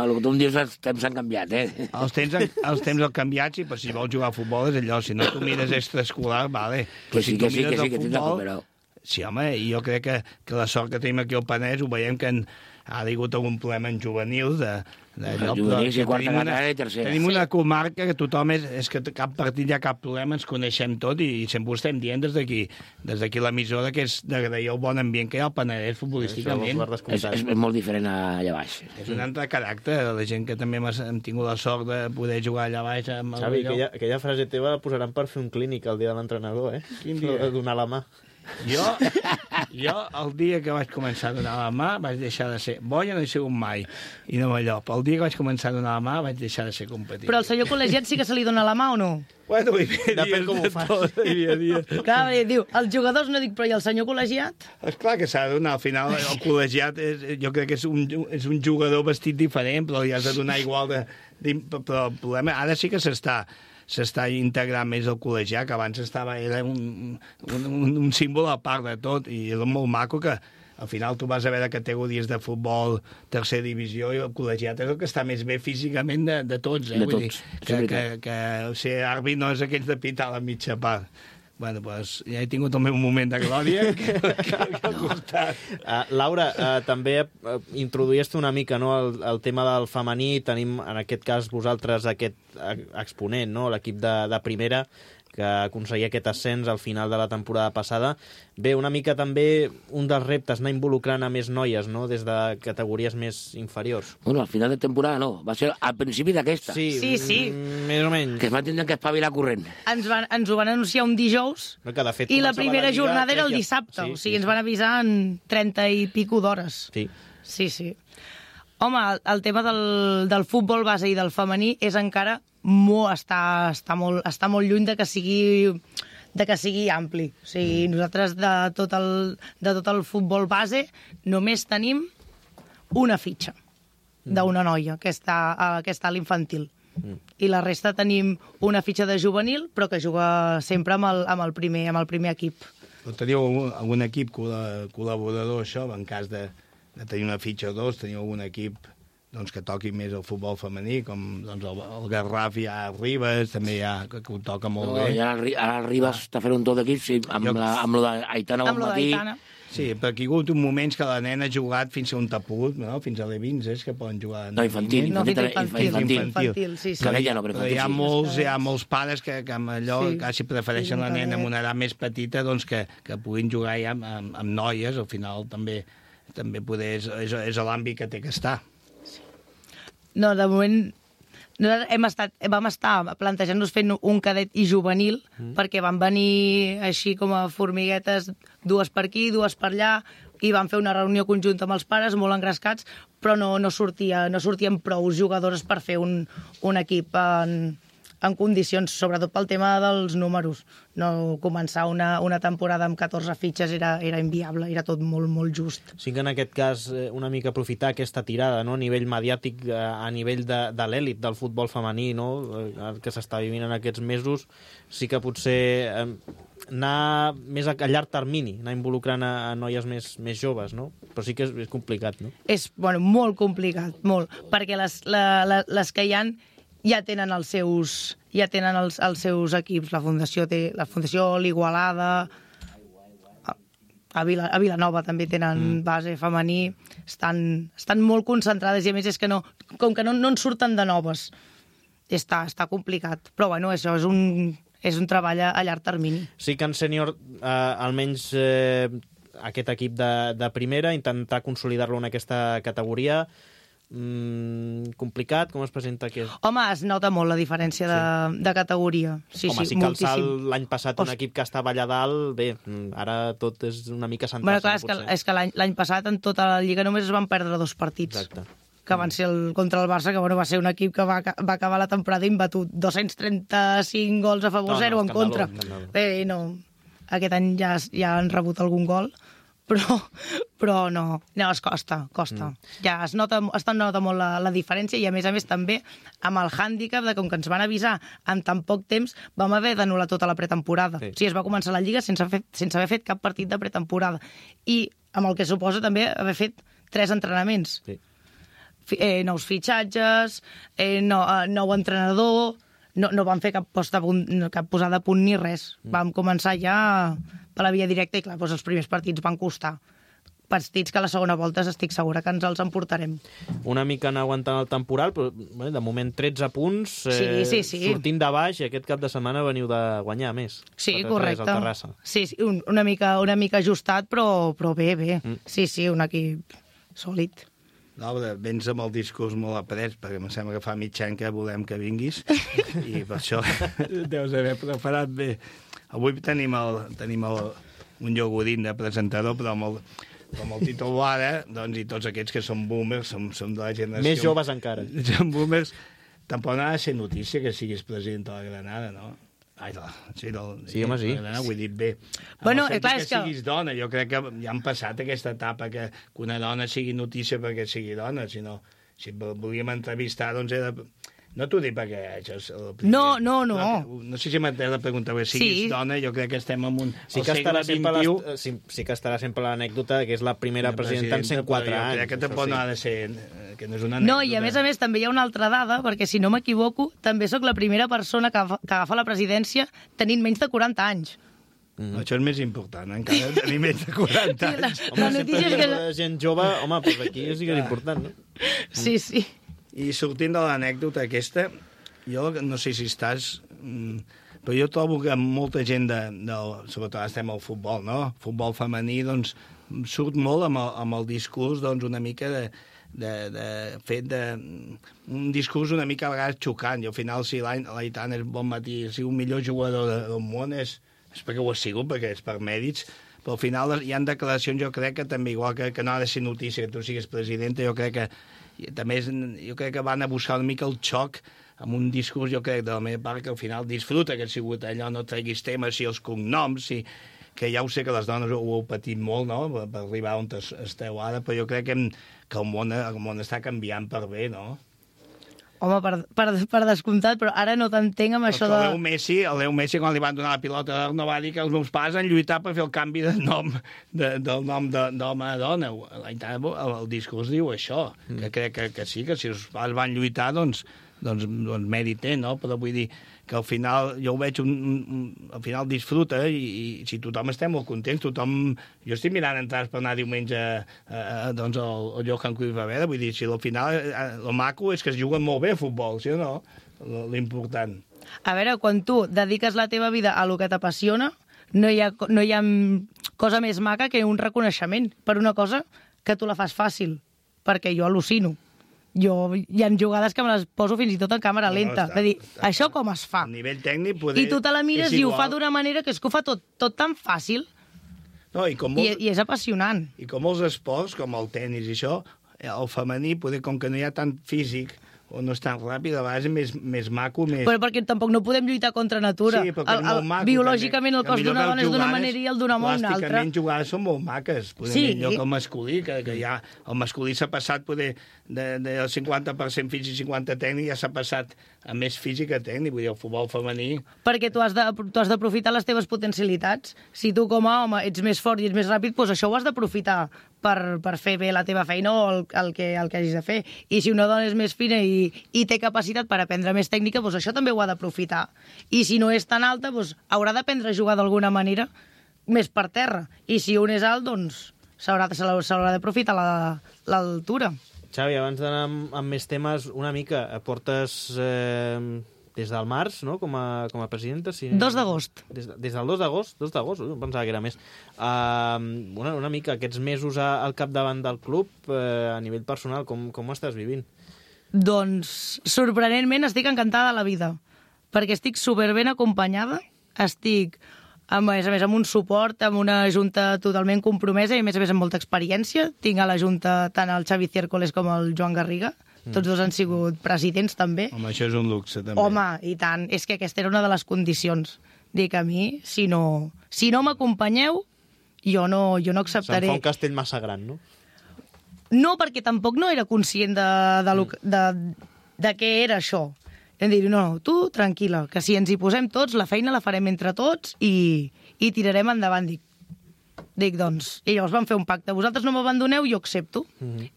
el que tu em dius, els temps han canviat, Els temps han canviat, sí, però si vols jugar a futbol és allò. Si no tu mires extraescolar, vale. Que sí, que tindrà com, però... Sí, home, i jo crec que la sort que tenim aquí al Penedès ho veiem que ha hagut algun problema en juvenils tenim una comarca que tothom és que cap partit hi ha cap problema, ens coneixem tot i sempre ho estem dient des d'aquí l'emissora que és d'agrair el bon ambient que hi ha al Penedès futbolísticament. És molt diferent allà baix. És un altre caràcter, la gent que també hem tingut la sort de poder jugar allà baix. Xavi, aquella frase teva la posaran per fer un clínic el dia de l'entrenador, Quin dia? De donar la mà. Jo, el dia que vaig començar a donar la mà, vaig deixar de ser... Boia no he sigut mai, i no allò. Però el dia que vaig començar a donar la mà, vaig deixar de ser competitiu. Però al senyor col·legiat sí que se li dona la mà o no? Bueno, depèn com ho fas. Clar, diu, els jugadors no dic, però i el senyor col·legiat? Esclar que s'ha de donar. Al final, el col·legiat jo crec que és un jugador vestit diferent, però li has de donar igual de... Però el problema, ara sí que s'està integrant més el col·legiat, que abans era un símbol a part de tot, i és molt maco que al final tu vas a veure categories de futbol, tercera divisió, i el col·legiat és el que està més bé físicament de tots. Vull dir, que ser àrbit no és aquells de pitar a la mitja part. Bueno, doncs ja he tingut el meu moment de glòria que ha costat. Laura, també introduïes una mica el tema del femení. Tenim, en aquest cas, vosaltres aquest exponent, l'equip de primera, que aconseguia aquest ascens al final de la temporada passada. Bé, una mica també un dels reptes, anar involucrant a més noies, no?, des de categories més inferiors. Bueno, al final de temporada no, va ser al principi d'aquesta. Sí, més o menys. Que es van tindre que espavilar corrent. Ens ho van anunciar un dijous i la primera jornada era el dissabte. O sigui, ens van avisar en 30 i pico d'hores. Sí. Home, el tema del futbol base i del femení és encara està molt lluny de que sigui ampli. O sigui, nosaltres de tot el futbol base només tenim una fitxa d'una noia que està a l'infantil. I la resta tenim una fitxa de juvenil, però que juga sempre amb el primer equip. Però teniu algun equip col·laborador, això, en cas de tenir una fitxa o dos, teniu algun equip que toqui més el futbol femení, com el Garraf hi ha Ribes, també hi ha, que ho toca molt bé. Ara el Ribes està fent un tot d'equip, sí, amb lo d'Aitana al matí. Sí, però aquí hi ha hagut moments que la nena ha jugat fins a on t'ha pogut, no? Fins a l'E20, és que poden jugar... No, infantil. Sí. Però hi ha molts pares que amb allò quasi prefereixen la nena amb una edat més petita que puguin jugar ja amb noies, al final també és l'àmbit que té que estar. No, de moment vam estar plantejant-nos fent un cadet i juvenil, perquè van venir així com a formiguetes, dues per aquí, dues per allà, i van fer una reunió conjunta amb els pares, molt engrescats, però no sortien prou jugadores per fer un equip en condicions, sobretot pel tema dels números. No començar una temporada amb 14 fitxes era inviable, era tot molt, molt just. Sí que en aquest cas una mica aprofitar aquesta tirada, no?, a nivell mediàtic, a nivell de l'èlit del futbol femení, no?, que s'està vivint en aquests mesos, sí que potser anar més a llarg termini, anar involucrant a noies més joves, no? Però sí que és complicat, no? És, molt complicat, molt, perquè les que hi ha ja tenen els seus equips. La Fundació l'Igualada, a Vilanova també tenen base femení, estan molt concentrades, i a més és que com que no en surten de noves, està complicat. Però bueno, això és un treball a llarg termini. Sí que en sènior, almenys aquest equip de primera, intentar consolidar-lo en aquesta categoria, complicat, com es presenta aquest? Home, es nota molt la diferència de categoria. Sí, que el salt l'any passat un equip que estava allà dalt, bé, ara tot és una mica centrar-se. Clar, és que l'any passat en tota la Lliga només es van perdre 2 partits. Exacte. Que van ser contra el Barça, que va ser un equip que va acabar la temporada imbatut. 235 gols a favor, 0 en contra. Bé, no. Aquest any ja han rebut algun gol, però no, es costa. Ja es nota molt la diferència, i a més també amb el hàndicap de com que ens van avisar en tan poc temps, vam haver d'anul·lar tota la pretemporada. O sigui, es va començar la Lliga sense haver fet cap partit de pretemporada, i amb el que suposa també haver fet 3 entrenaments. Nous fitxatges, nou entrenador, no vam fer cap posada a punt ni res. Vam començar ja per la via directa i, clar, els primers partits van costar. Partits que a la segona volta estic segura que ens els emportarem. Una mica anar aguantant el temporal, però de moment 13 punts, sí. sortint de baix, i aquest cap de setmana veniu de guanyar més. Sí, correcte. Sí, una mica ajustat, però bé. Sí, un equip sòlid. No, vens amb el discurs molt après, perquè em sembla que fa mig any que volem que vinguis, i per això deus haver preparat bé. Avui tenim un Llogodín de presentador, però com el Tito Boada, i tots aquests que són boomers, som de la generació... Més joves encara. Són boomers. Tampoc no ha de ser notícia que siguis president de la Granada, no? Sí, home, sí. Ho he dit bé. Bueno, clar, és que siguis dona. Jo crec que ja han passat aquesta etapa que una dona sigui notícia perquè sigui dona, sinó si volíem entrevistar, doncs he de... No t'ho dic perquè això és el primer... No. No sé si m'entès la pregunta, perquè siguis dona, jo crec que estem en un... Sí que estarà sempre l'anècdota que és la primera presidenta en 104 anys. Jo crec que tampoc no ha de ser... que no és una anècdota. No, i a més també hi ha una altra dada, perquè si no m'equivoco, també sóc la primera persona que agafa la presidència tenint menys de 40 anys. Això és més important, encara tenir menys de 40 anys. Home, sempre hi ha gent jove, home, doncs aquí sí que és important, no? Sí. I sortint de l'anècdota aquesta, jo no sé si estàs Però jo trobo que molta gent, sobretot estem al futbol, no? Futbol femení, doncs, surt molt amb el discurs, doncs, una mica un discurs una mica a vegades xocant. I al final, si l'Aitana és bon matí, si un millor jugador del món és perquè ho ha sigut, perquè és per mèrits, però al final hi ha declaracions, jo crec que també, igual que no ha de ser notícia que tu siguis presidenta, jo crec que van a buscar una mica el xoc amb un discurs, jo crec, de la meva part, que al final disfruta que ha sigut allò, no treguis temes, si els cognoms, que ja ho sé que les dones ho heu patit molt, no?, per arribar on esteu ara, però jo crec que el món està canviant per bé, no? Home, per descomptat, però ara no t'entenc amb això de... El Leo Messi, quan li van donar la pilota d'or, no va dir que els meus pares han lluitat per fer el canvi de nom, del nom d'home a dona. El discurs diu això, que crec que sí, que si els pares van lluitar, doncs mèrit té, no? Però vull dir que al final jo ho veig, al final disfruta i si tothom estem molt contents, jo estic mirant entrades per anar diumenge al Johan Cruyff a veure, vull dir, si al final el maco és que es juguen molt bé a futbol, sí o no? L'important. A veure, quan tu dediques la teva vida a lo que t'apassiona, no hi ha cosa més maca que un reconeixement per una cosa que tu la fas fàcil, perquè jo al·lucino. Hi ha jugades que me les poso fins i tot en càmera lenta. És a dir, això com es fa? A nivell tècnic I tu te la mires i ho fa d'una manera que és que ho fa tot tan fàcil i és apassionant. I com els esports, com el tennis i això, el femení, com que no hi ha tant físic o no és tan ràpid, a vegades és més maco, més... Però perquè tampoc no podem lluitar contra natura. Sí, perquè és molt maco. Biològicament el cos d'una dona és d'una manera i el d'una una altra. Plàsticament jugades són molt maques, millor que el masculí, que ja el masculí s'ha passat del 50% físic i 50% tècnic, ja s'ha passat a més físic que tècnic, vull dir, el futbol femení... Perquè tu has d'aprofitar les teves potencialitats. Si tu com a home ets més fort i ets més ràpid, doncs això ho has d'aprofitar per fer bé la teva feina o el que hagis de fer. I si una dona és més fina i té capacitat per aprendre més tècnica, doncs això també ho ha d'aprofitar. I si no és tan alta, doncs haurà d'aprendre a jugar d'alguna manera més per terra. I si un és alt, doncs s'haurà d'aprofitar l'altura. Xavi, abans d'anar amb més temes, una mica, portes des del març, no?, com a presidenta. 2 d'agost. Des del 2 d'agost? 2 d'agost? Pensava que era més. Una mica, aquests mesos al capdavant del club, a nivell personal, com ho estàs vivint? Doncs, sorprenentment, estic encantada de la vida, perquè estic superben acompanyada, estic, a més, amb un suport, amb una junta totalment compromesa i, a més, amb molta experiència. Tinc a la junta tant el Xavi Ciércoles com el Joan Garriga. Tots dos han sigut presidents, també. Home, això és un luxe, també. Home, i tant. És que aquesta era una de les condicions. Dic, a mi, si no m'acompanyeu, jo no acceptaré... Se'n fa un castell massa gran, no? No, perquè tampoc no era conscient de què era això. Hem dit, no, tu, tranquil·la, que si ens hi posem tots, la feina la farem entre tots i tirarem endavant. Dic, doncs, i llavors vam fer un pacte. Vosaltres no m'abandoneu, jo accepto.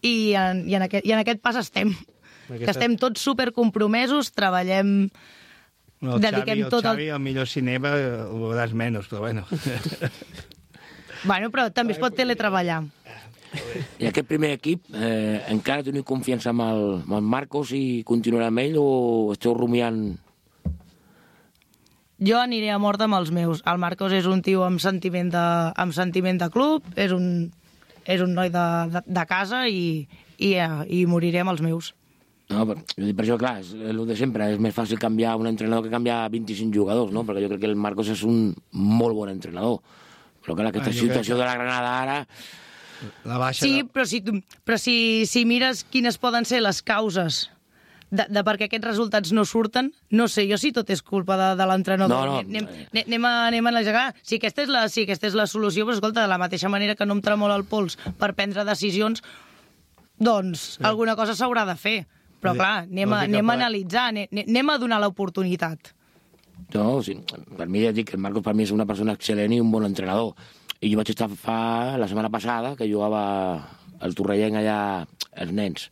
I en aquest pas estem. Que estem tots supercompromesos, treballem... dediquem tot el Xavi, el millor cinema, ho veuràs menys, però bueno. Bueno, però també es pot teletreballar. I aquest primer equip, encara teniu confiança amb el Marcos i continuarà amb ell o esteu rumiant? Jo aniré a mort amb els meus. El Marcos és un tio amb sentiment de club, és un noi de casa i moriré amb els meus. No, per això, clar, és el de sempre. És més fàcil canviar un entrenador que canviar 25 jugadors, no? Perquè jo crec que el Marcos és un molt bon entrenador. Però clar, aquesta situació de la Granada ara... Sí, però si mires quines poden ser les causes de per què aquests resultats no surten, no sé jo si tot és culpa de l'entrenador. Anem a analitzar. Si aquesta és la solució, però escolta, de la mateixa manera que no em tremola el pols per prendre decisions, doncs alguna cosa s'haurà de fer. Però clar, anem a analitzar, anem a donar l'oportunitat. No, sí, per mi ja dic que el Marcos per mi és una persona excel·lent i un bon entrenador. I jo vaig estar la setmana passada, que jugava al Torrellenc allà els nens,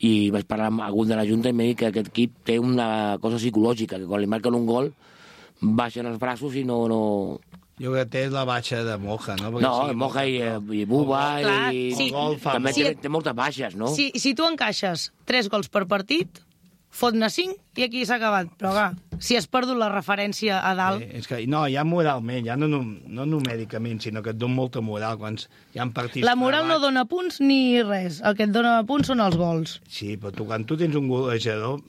i vaig parlar amb algun de la Junta i m'ha dit que aquest equip té una cosa psicològica, que quan li marquen un gol baixen els braços i no... Jo crec que té la baixa de Moja, no? No, Moja i Buba i... També té moltes baixes, no? Si tu encaixes 3 gols per partit, fot-ne 5 i aquí s'ha acabat. Però, clar, si has perdut la referència a dalt... És que, no, ja moralment, ja no numèricament, sinó que et dona molta moral quan hi ha partits... La moral no dona punts ni res. El que et dona punts són els gols. Sí, però quan tu tens un golejador...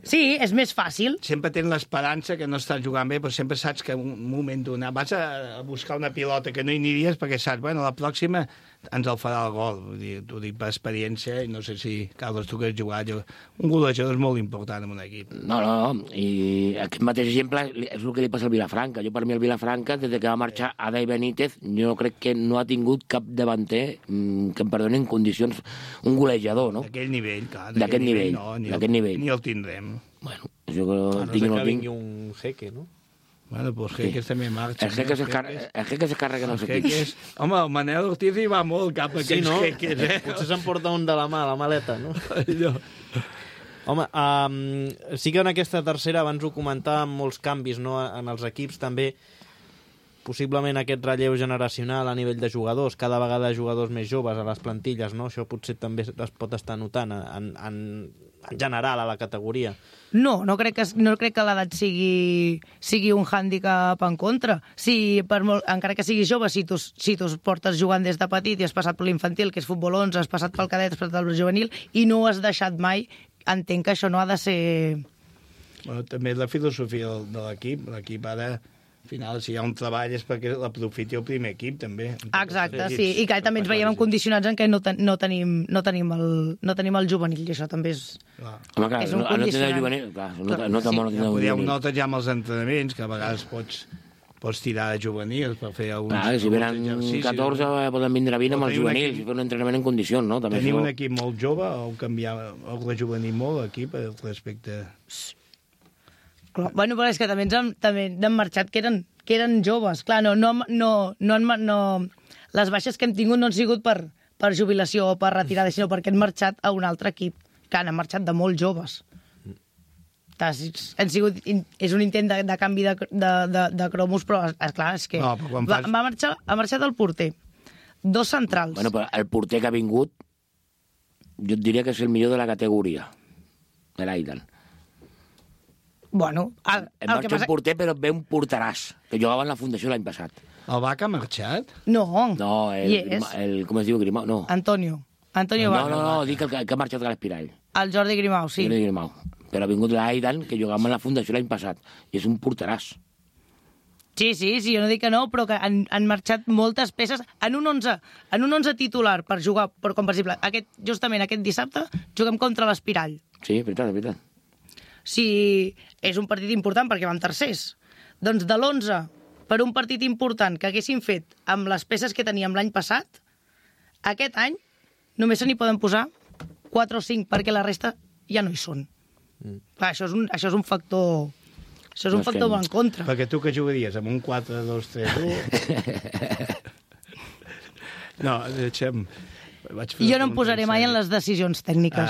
Sí, és més fàcil. Sempre tens l'esperança que no estàs jugant bé, però sempre saps que en un moment donat vas a buscar una pilota que no hi aniries perquè saps, bueno, la pròxima ens el farà el gol. T'ho dic per experiència, i no sé si, Carlos, tu que has jugat, un golejador és molt important en un equip. No, i aquest mateix exemple és el que li passa al Vilafranca. Jo, per mi, el Vilafranca, des que va marxar Adai Benítez, jo crec que no ha tingut cap davanter que em perdoni en condicions, un golejador, no? D'aquell nivell, clar. D'aquest nivell, d'aquest nivell. Ni el tindrem. Bueno, jo que no sé que vingui un jeque, no? Bueno, pues Jeques també marxa. El Jeques es carrega en els equips. Home, el Manel Ortiz hi va molt cap a aquests Jeques, eh? Potser s'emporta un de la mà, la maleta, no? Home, sí que en aquesta tercera, abans ho comentàvem, molts canvis, no?, en els equips, també possiblement aquest relleu generacional a nivell de jugadors, cada vegada jugadors més joves a les plantilles, no? Això potser també es pot estar notant en general a la categoria. No crec que l'edat sigui un hàndicap en contra. Encara que siguis jove, si tu portes jugant des de petit i has passat per l'infantil, que és futbol 11, has passat pel cadet, has passat pel juvenil, i no has deixat mai, entenc que això no ha de ser... Bueno, també la filosofia de l'equip. L'equip ara, al final, si hi ha un treball és perquè l'aprofiti el primer equip, també. Exacte, sí. I que també ens veiem condicionats en què no tenim el juvenil, i això també és... Home, clar, és un condicionant. No juvenil, clar, no té molt juvenil. Podríem notar ja amb els entrenaments, que a vegades pots tirar de juvenils per fer alguns... Clar, si venen 14 poden vindre 20 amb els juvenils i fer un entrenament en condicions, no? Tenim un equip molt jove o canviar el rejuvenir molt l'equip respecte... Bueno, però és que també n'han marxat que eren joves. Clar, les baixes que hem tingut no han sigut per jubilació o per retirada, sinó perquè han marxat a un altre equip, que han marxat de molt joves. És un intent de canvi de cromos, però, esclar, és que ha marxat el porter. 2 centrals. Bueno, però el porter que ha vingut, jo et diria que és el millor de la categoria, de l'Aidan. Bueno, marxa un porter, però ve un porteràs, que jugava en la Fundació l'any passat. El Baca ha marxat? No, com es diu, Grimau? No. Antonio Baca. No, dic que ha marxat a l'Espirall. El Jordi Grimau, sí. Jordi Grimau. Però ha vingut l'Aidan, que jugava en la Fundació l'any passat, i és un porteràs. Sí, jo no dic que no, però que han marxat moltes peces en un 11 titular per jugar, com per exemple, justament aquest dissabte juguem contra l'Espirall. Sí, veritat. Si és un partit important perquè van tercers, doncs de l'11 per un partit important que haguessin fet amb les peces que teníem l'any passat, aquest any només se n'hi poden posar 4 o 5 perquè la resta ja no hi són. Clar, això és un factor... Això és un factor en contra. Perquè tu que jugaries amb un 4-2-3-1... No, deixem... Jo no em posaré mai en les decisions tècniques.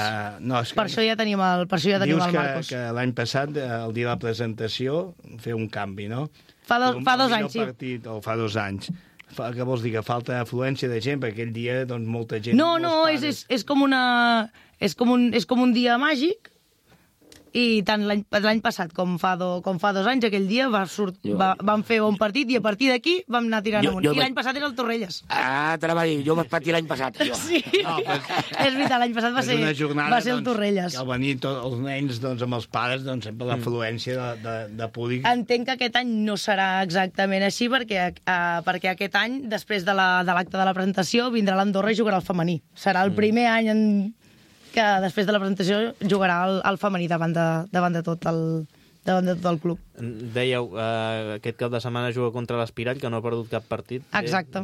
Per això ja tenim el Marcos. Dius que l'any passat, el dia de la presentació, fer un canvi, no? Fa 2 anys, sí. O fa 2 anys. Què vols dir? Que falta afluència de gent? Perquè aquell dia, doncs, molta gent... No, és com un dia màgic, i tant l'any passat com fa 2 anys, aquell dia vam fer un partit i a partir d'aquí vam anar tirant amunt. I l'any passat era el Torrelles. T'anava a dir, jo vaig patir l'any passat. Sí, és veritat, l'any passat va ser el Torrelles. Al venir tots els nens amb els pares, sempre l'afluència de públic... Entenc que aquest any no serà exactament així perquè aquest any, després de l'acte de la presentació, vindrà l'Andorra i jugarà el femení. Serà el primer any que després de la presentació jugarà el femení davant de tot el club. Dèieu, aquest cap de setmana juga contra l'Espirall, que no ha perdut cap partit. Exacte.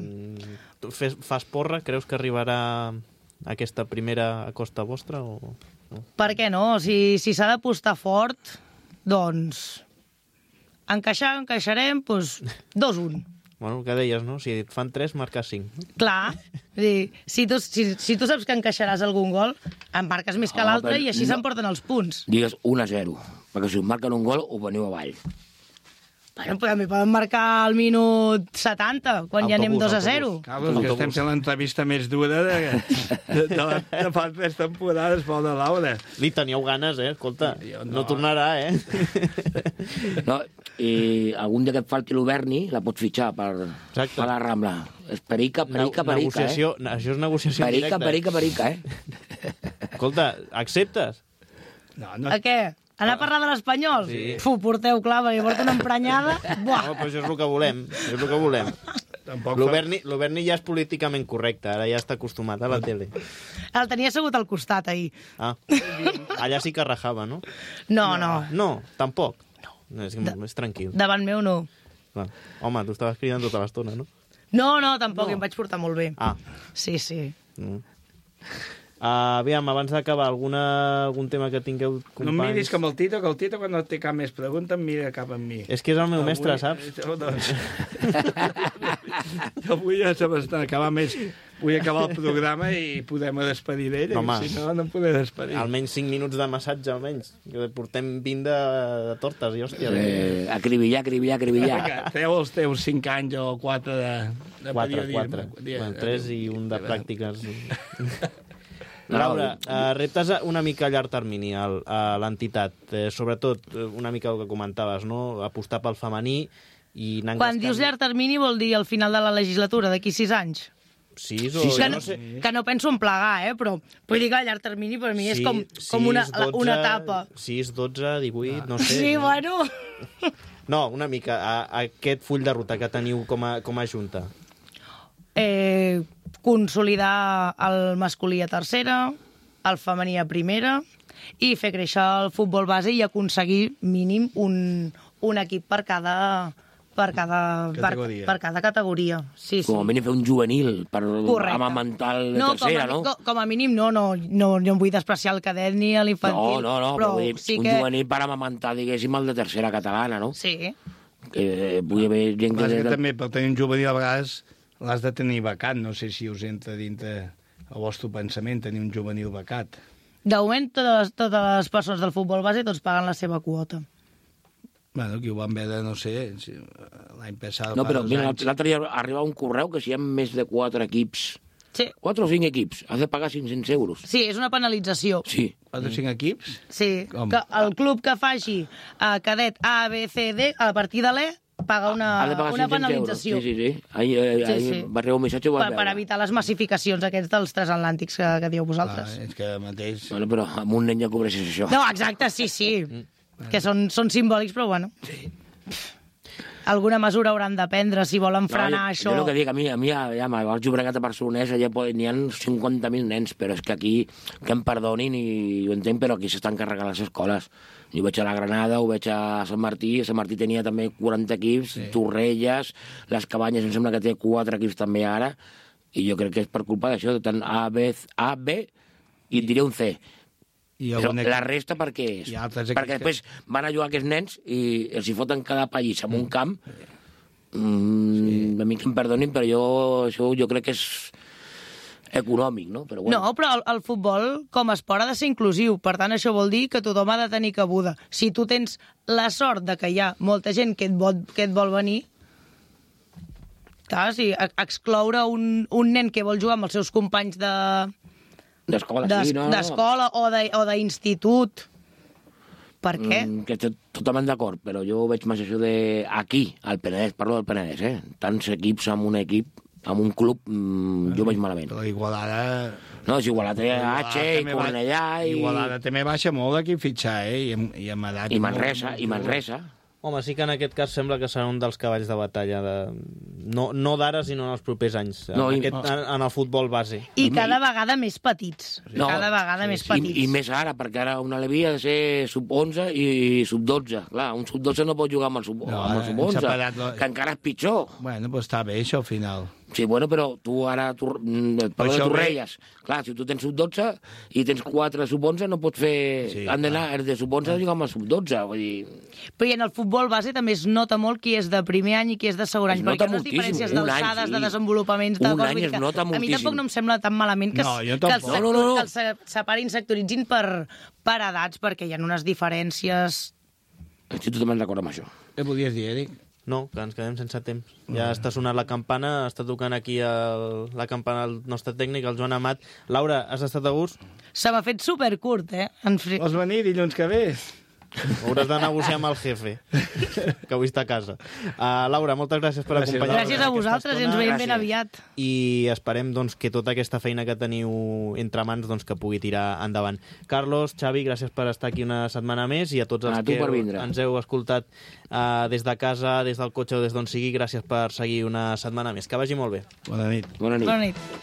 Fas porra? Creus que arribarà aquesta primera a costa vostra? O no? Per què no? Si s'ha d'apostar fort, doncs encaixarem 2-1. Bueno, el que deies, no? Si et fan 3, marques 5. Clar. Si tu saps que encaixaràs algun gol, en marques més que l'altre i així s'emporten els punts. Digues 1-0, perquè si us marquen un gol, ho veniu avall. Bueno, també poden marcar al minut 70, quan ja anem 2-0. Carlos, que estem fent l'entrevista més dura de fa 3 temporades, Pol de Laura. Li teníeu ganes, escolta. No tornarà, No, i algun dia que et falti l'Uberni, la pots fitxar per la Rambla. És perica, Això és negociació directa. Perica, Escolta, acceptes? A què? Anar a parlar de l'Espanyol? Sí. Porteu clar, perquè porta una emprenyada. Buah! No, però això és el que volem. L'Uberni ja és políticament correcte, ara ja està acostumat a la tele. El tenia assegut al costat, ahir. Ah, allà sí que rajava, no? No. No, tampoc? No, és tranquil. Davant meu no. Clar. Home, tu estaves cridant tota l'estona, no? No, tampoc, em vaig portar molt bé. Ah. Sí. Aviam, abans d'acabar, algun tema que tingueu, companys? No em miris com el Tito, que el Tito quan no té cap més pregunta em mira cap a mi. És que és el meu mestre, saps? Avui ja se m'està acabant més. Vull acabar el programa i podem despedir d'ell. Si no, no em podem despedir. Almenys 5 minuts de massatge, almenys. Portem 20 de tortes, i hòstia. Acribillar. Treu els teus 5 anys o 4 de periodisme. 4. 3 i un de pràctiques. Laura, reptes una mica a llarg termini a l'entitat, sobretot una mica el que comentaves, no? Apostar pel femení i anar Quan dius llarg termini vol dir al final de la legislatura, d'aquí 6 anys? 6 o... Que no, que no penso en plegar, però vull dir que a llarg termini per mi és com una etapa. 6, 12, 18, no sé. Sí, bueno... No, una mica, aquest full de ruta que teniu com a junta. Consolidar el masculí a tercera, el femení a primera, i fer créixer el futbol base i aconseguir mínim un equip per cada categoria. Sí. Com a mínim fer un juvenil per amamentar el de tercera, no? Com a mínim no em vull despreciar el cadet ni l'infantil. No, però vull dir, un juvenil per amamentar, diguéssim, el de tercera catalana, no? Sí. Vull haver gent que... També per tenir un juvenil a vegades l'has de tenir becat, no sé si us entra dintre el vostre pensament tenir un juvenil becat. De moment, totes les persones del futbol base tots paguen la seva quota. Bueno, aquí ho vam veure, no sé, l'any passat... No, però l'altre dia arriba un correu que si hi ha més de 4 equips, 4 o 5 equips, has de pagar 500 euros. Sí, és una penalització. Sí. 4 o 5 equips? Sí, que el club que faci cadet A, B, C, D, a partir de l'E, paga una penalització. Sí. Ahir va arribar un missatge... Per evitar les massificacions aquests dels transatlàntics que dieu vosaltres. És que mateix... Bueno, però amb un nen ja cobreixes això. No, exacte, sí. Que són simbòlics, però bueno. Sí. Alguna mesura hauran de prendre si volen frenar això. Jo el que dic, a mi al Llobregat a Barcelonès allà n'hi ha 50.000 nens, però és que aquí, que em perdonin, i ho entenc, però aquí s'estan carregant les escoles. Jo vaig a la Granada, ho veig a Sant Martí tenia també 40 equips, Torrelles, les Cabanyes em sembla que té 4 equips també ara, i jo crec que és per culpa d'això, tant A, B, i et diré un C. Però la resta per què és? Perquè després van a jugar aquests nens i els hi foten cada país en un camp. A mi que em perdonin, però jo crec que és econòmic, no? Però bueno. No, però el futbol com a esport ha de ser inclusiu. Per tant, això vol dir que tothom ha de tenir cabuda. Si tu tens la sort de que hi ha molta gent que et vol venir, clar, si excloure un nen que vol jugar amb els seus companys d'escola o d'institut. Per què? Que totalment d'acord, però jo veig més això d'aquí, al Penedès, parlo del Penedès, tants equips amb un equip, amb un club, jo veig malament. Però Igualada... No, és Igualada, H, i Cornellà... Igualada també baixa molt aquí fitxar, i amb edat... I Manresa. Home, sí que en aquest cas sembla que serà un dels cavalls de batalla, no d'ara, sinó en els propers anys, en el futbol base. I cada vegada més petits. I més ara, perquè ara una Levi ha de ser sub-11 i sub-12. Clar, un sub-12 no pot jugar amb el sub-11, que encara és pitjor. Bueno, doncs està bé, això, al final. Sí, bueno, però tu ara... Parlo de Torrelles. Clar, si tu tens sub-12 i tens 4 sub-11, no pots fer... Sí, han d'anar de sub-11 a jugar amb el sub-12, vull dir... Però i en el futbol base també es nota molt qui és de primer any i qui és de segon any, perquè les diferències d'alçades, de desenvolupaments... Un any es nota moltíssim. A mi tampoc no em sembla tan malament que els separin, sectoritzin per edats, perquè hi ha unes diferències... Estic totalment d'acord amb això. Què podies dir, Eric? No, que ens quedem sense temps. Ja està sonant la campana, està tocant aquí la campana el nostre tècnic, el Joan Amat. Laura, has estat a gust? Se m'ha fet supercurt, eh? Vols venir dilluns que ve? Hauràs de negociar amb el jefe, que avui està a casa. Laura, moltes gràcies per acompanyar-nos. Gràcies a vosaltres, ens veiem ben aviat. I esperem doncs, que tota aquesta feina que teniu entre mans doncs, que pugui tirar endavant. Carlos, Xavi, gràcies per estar aquí una setmana més i a tots els que ens heu escoltat des de casa, des del cotxe o des d'on sigui, gràcies per seguir una setmana més. Que vagi molt bé. Bona nit. Bona nit. Bona nit.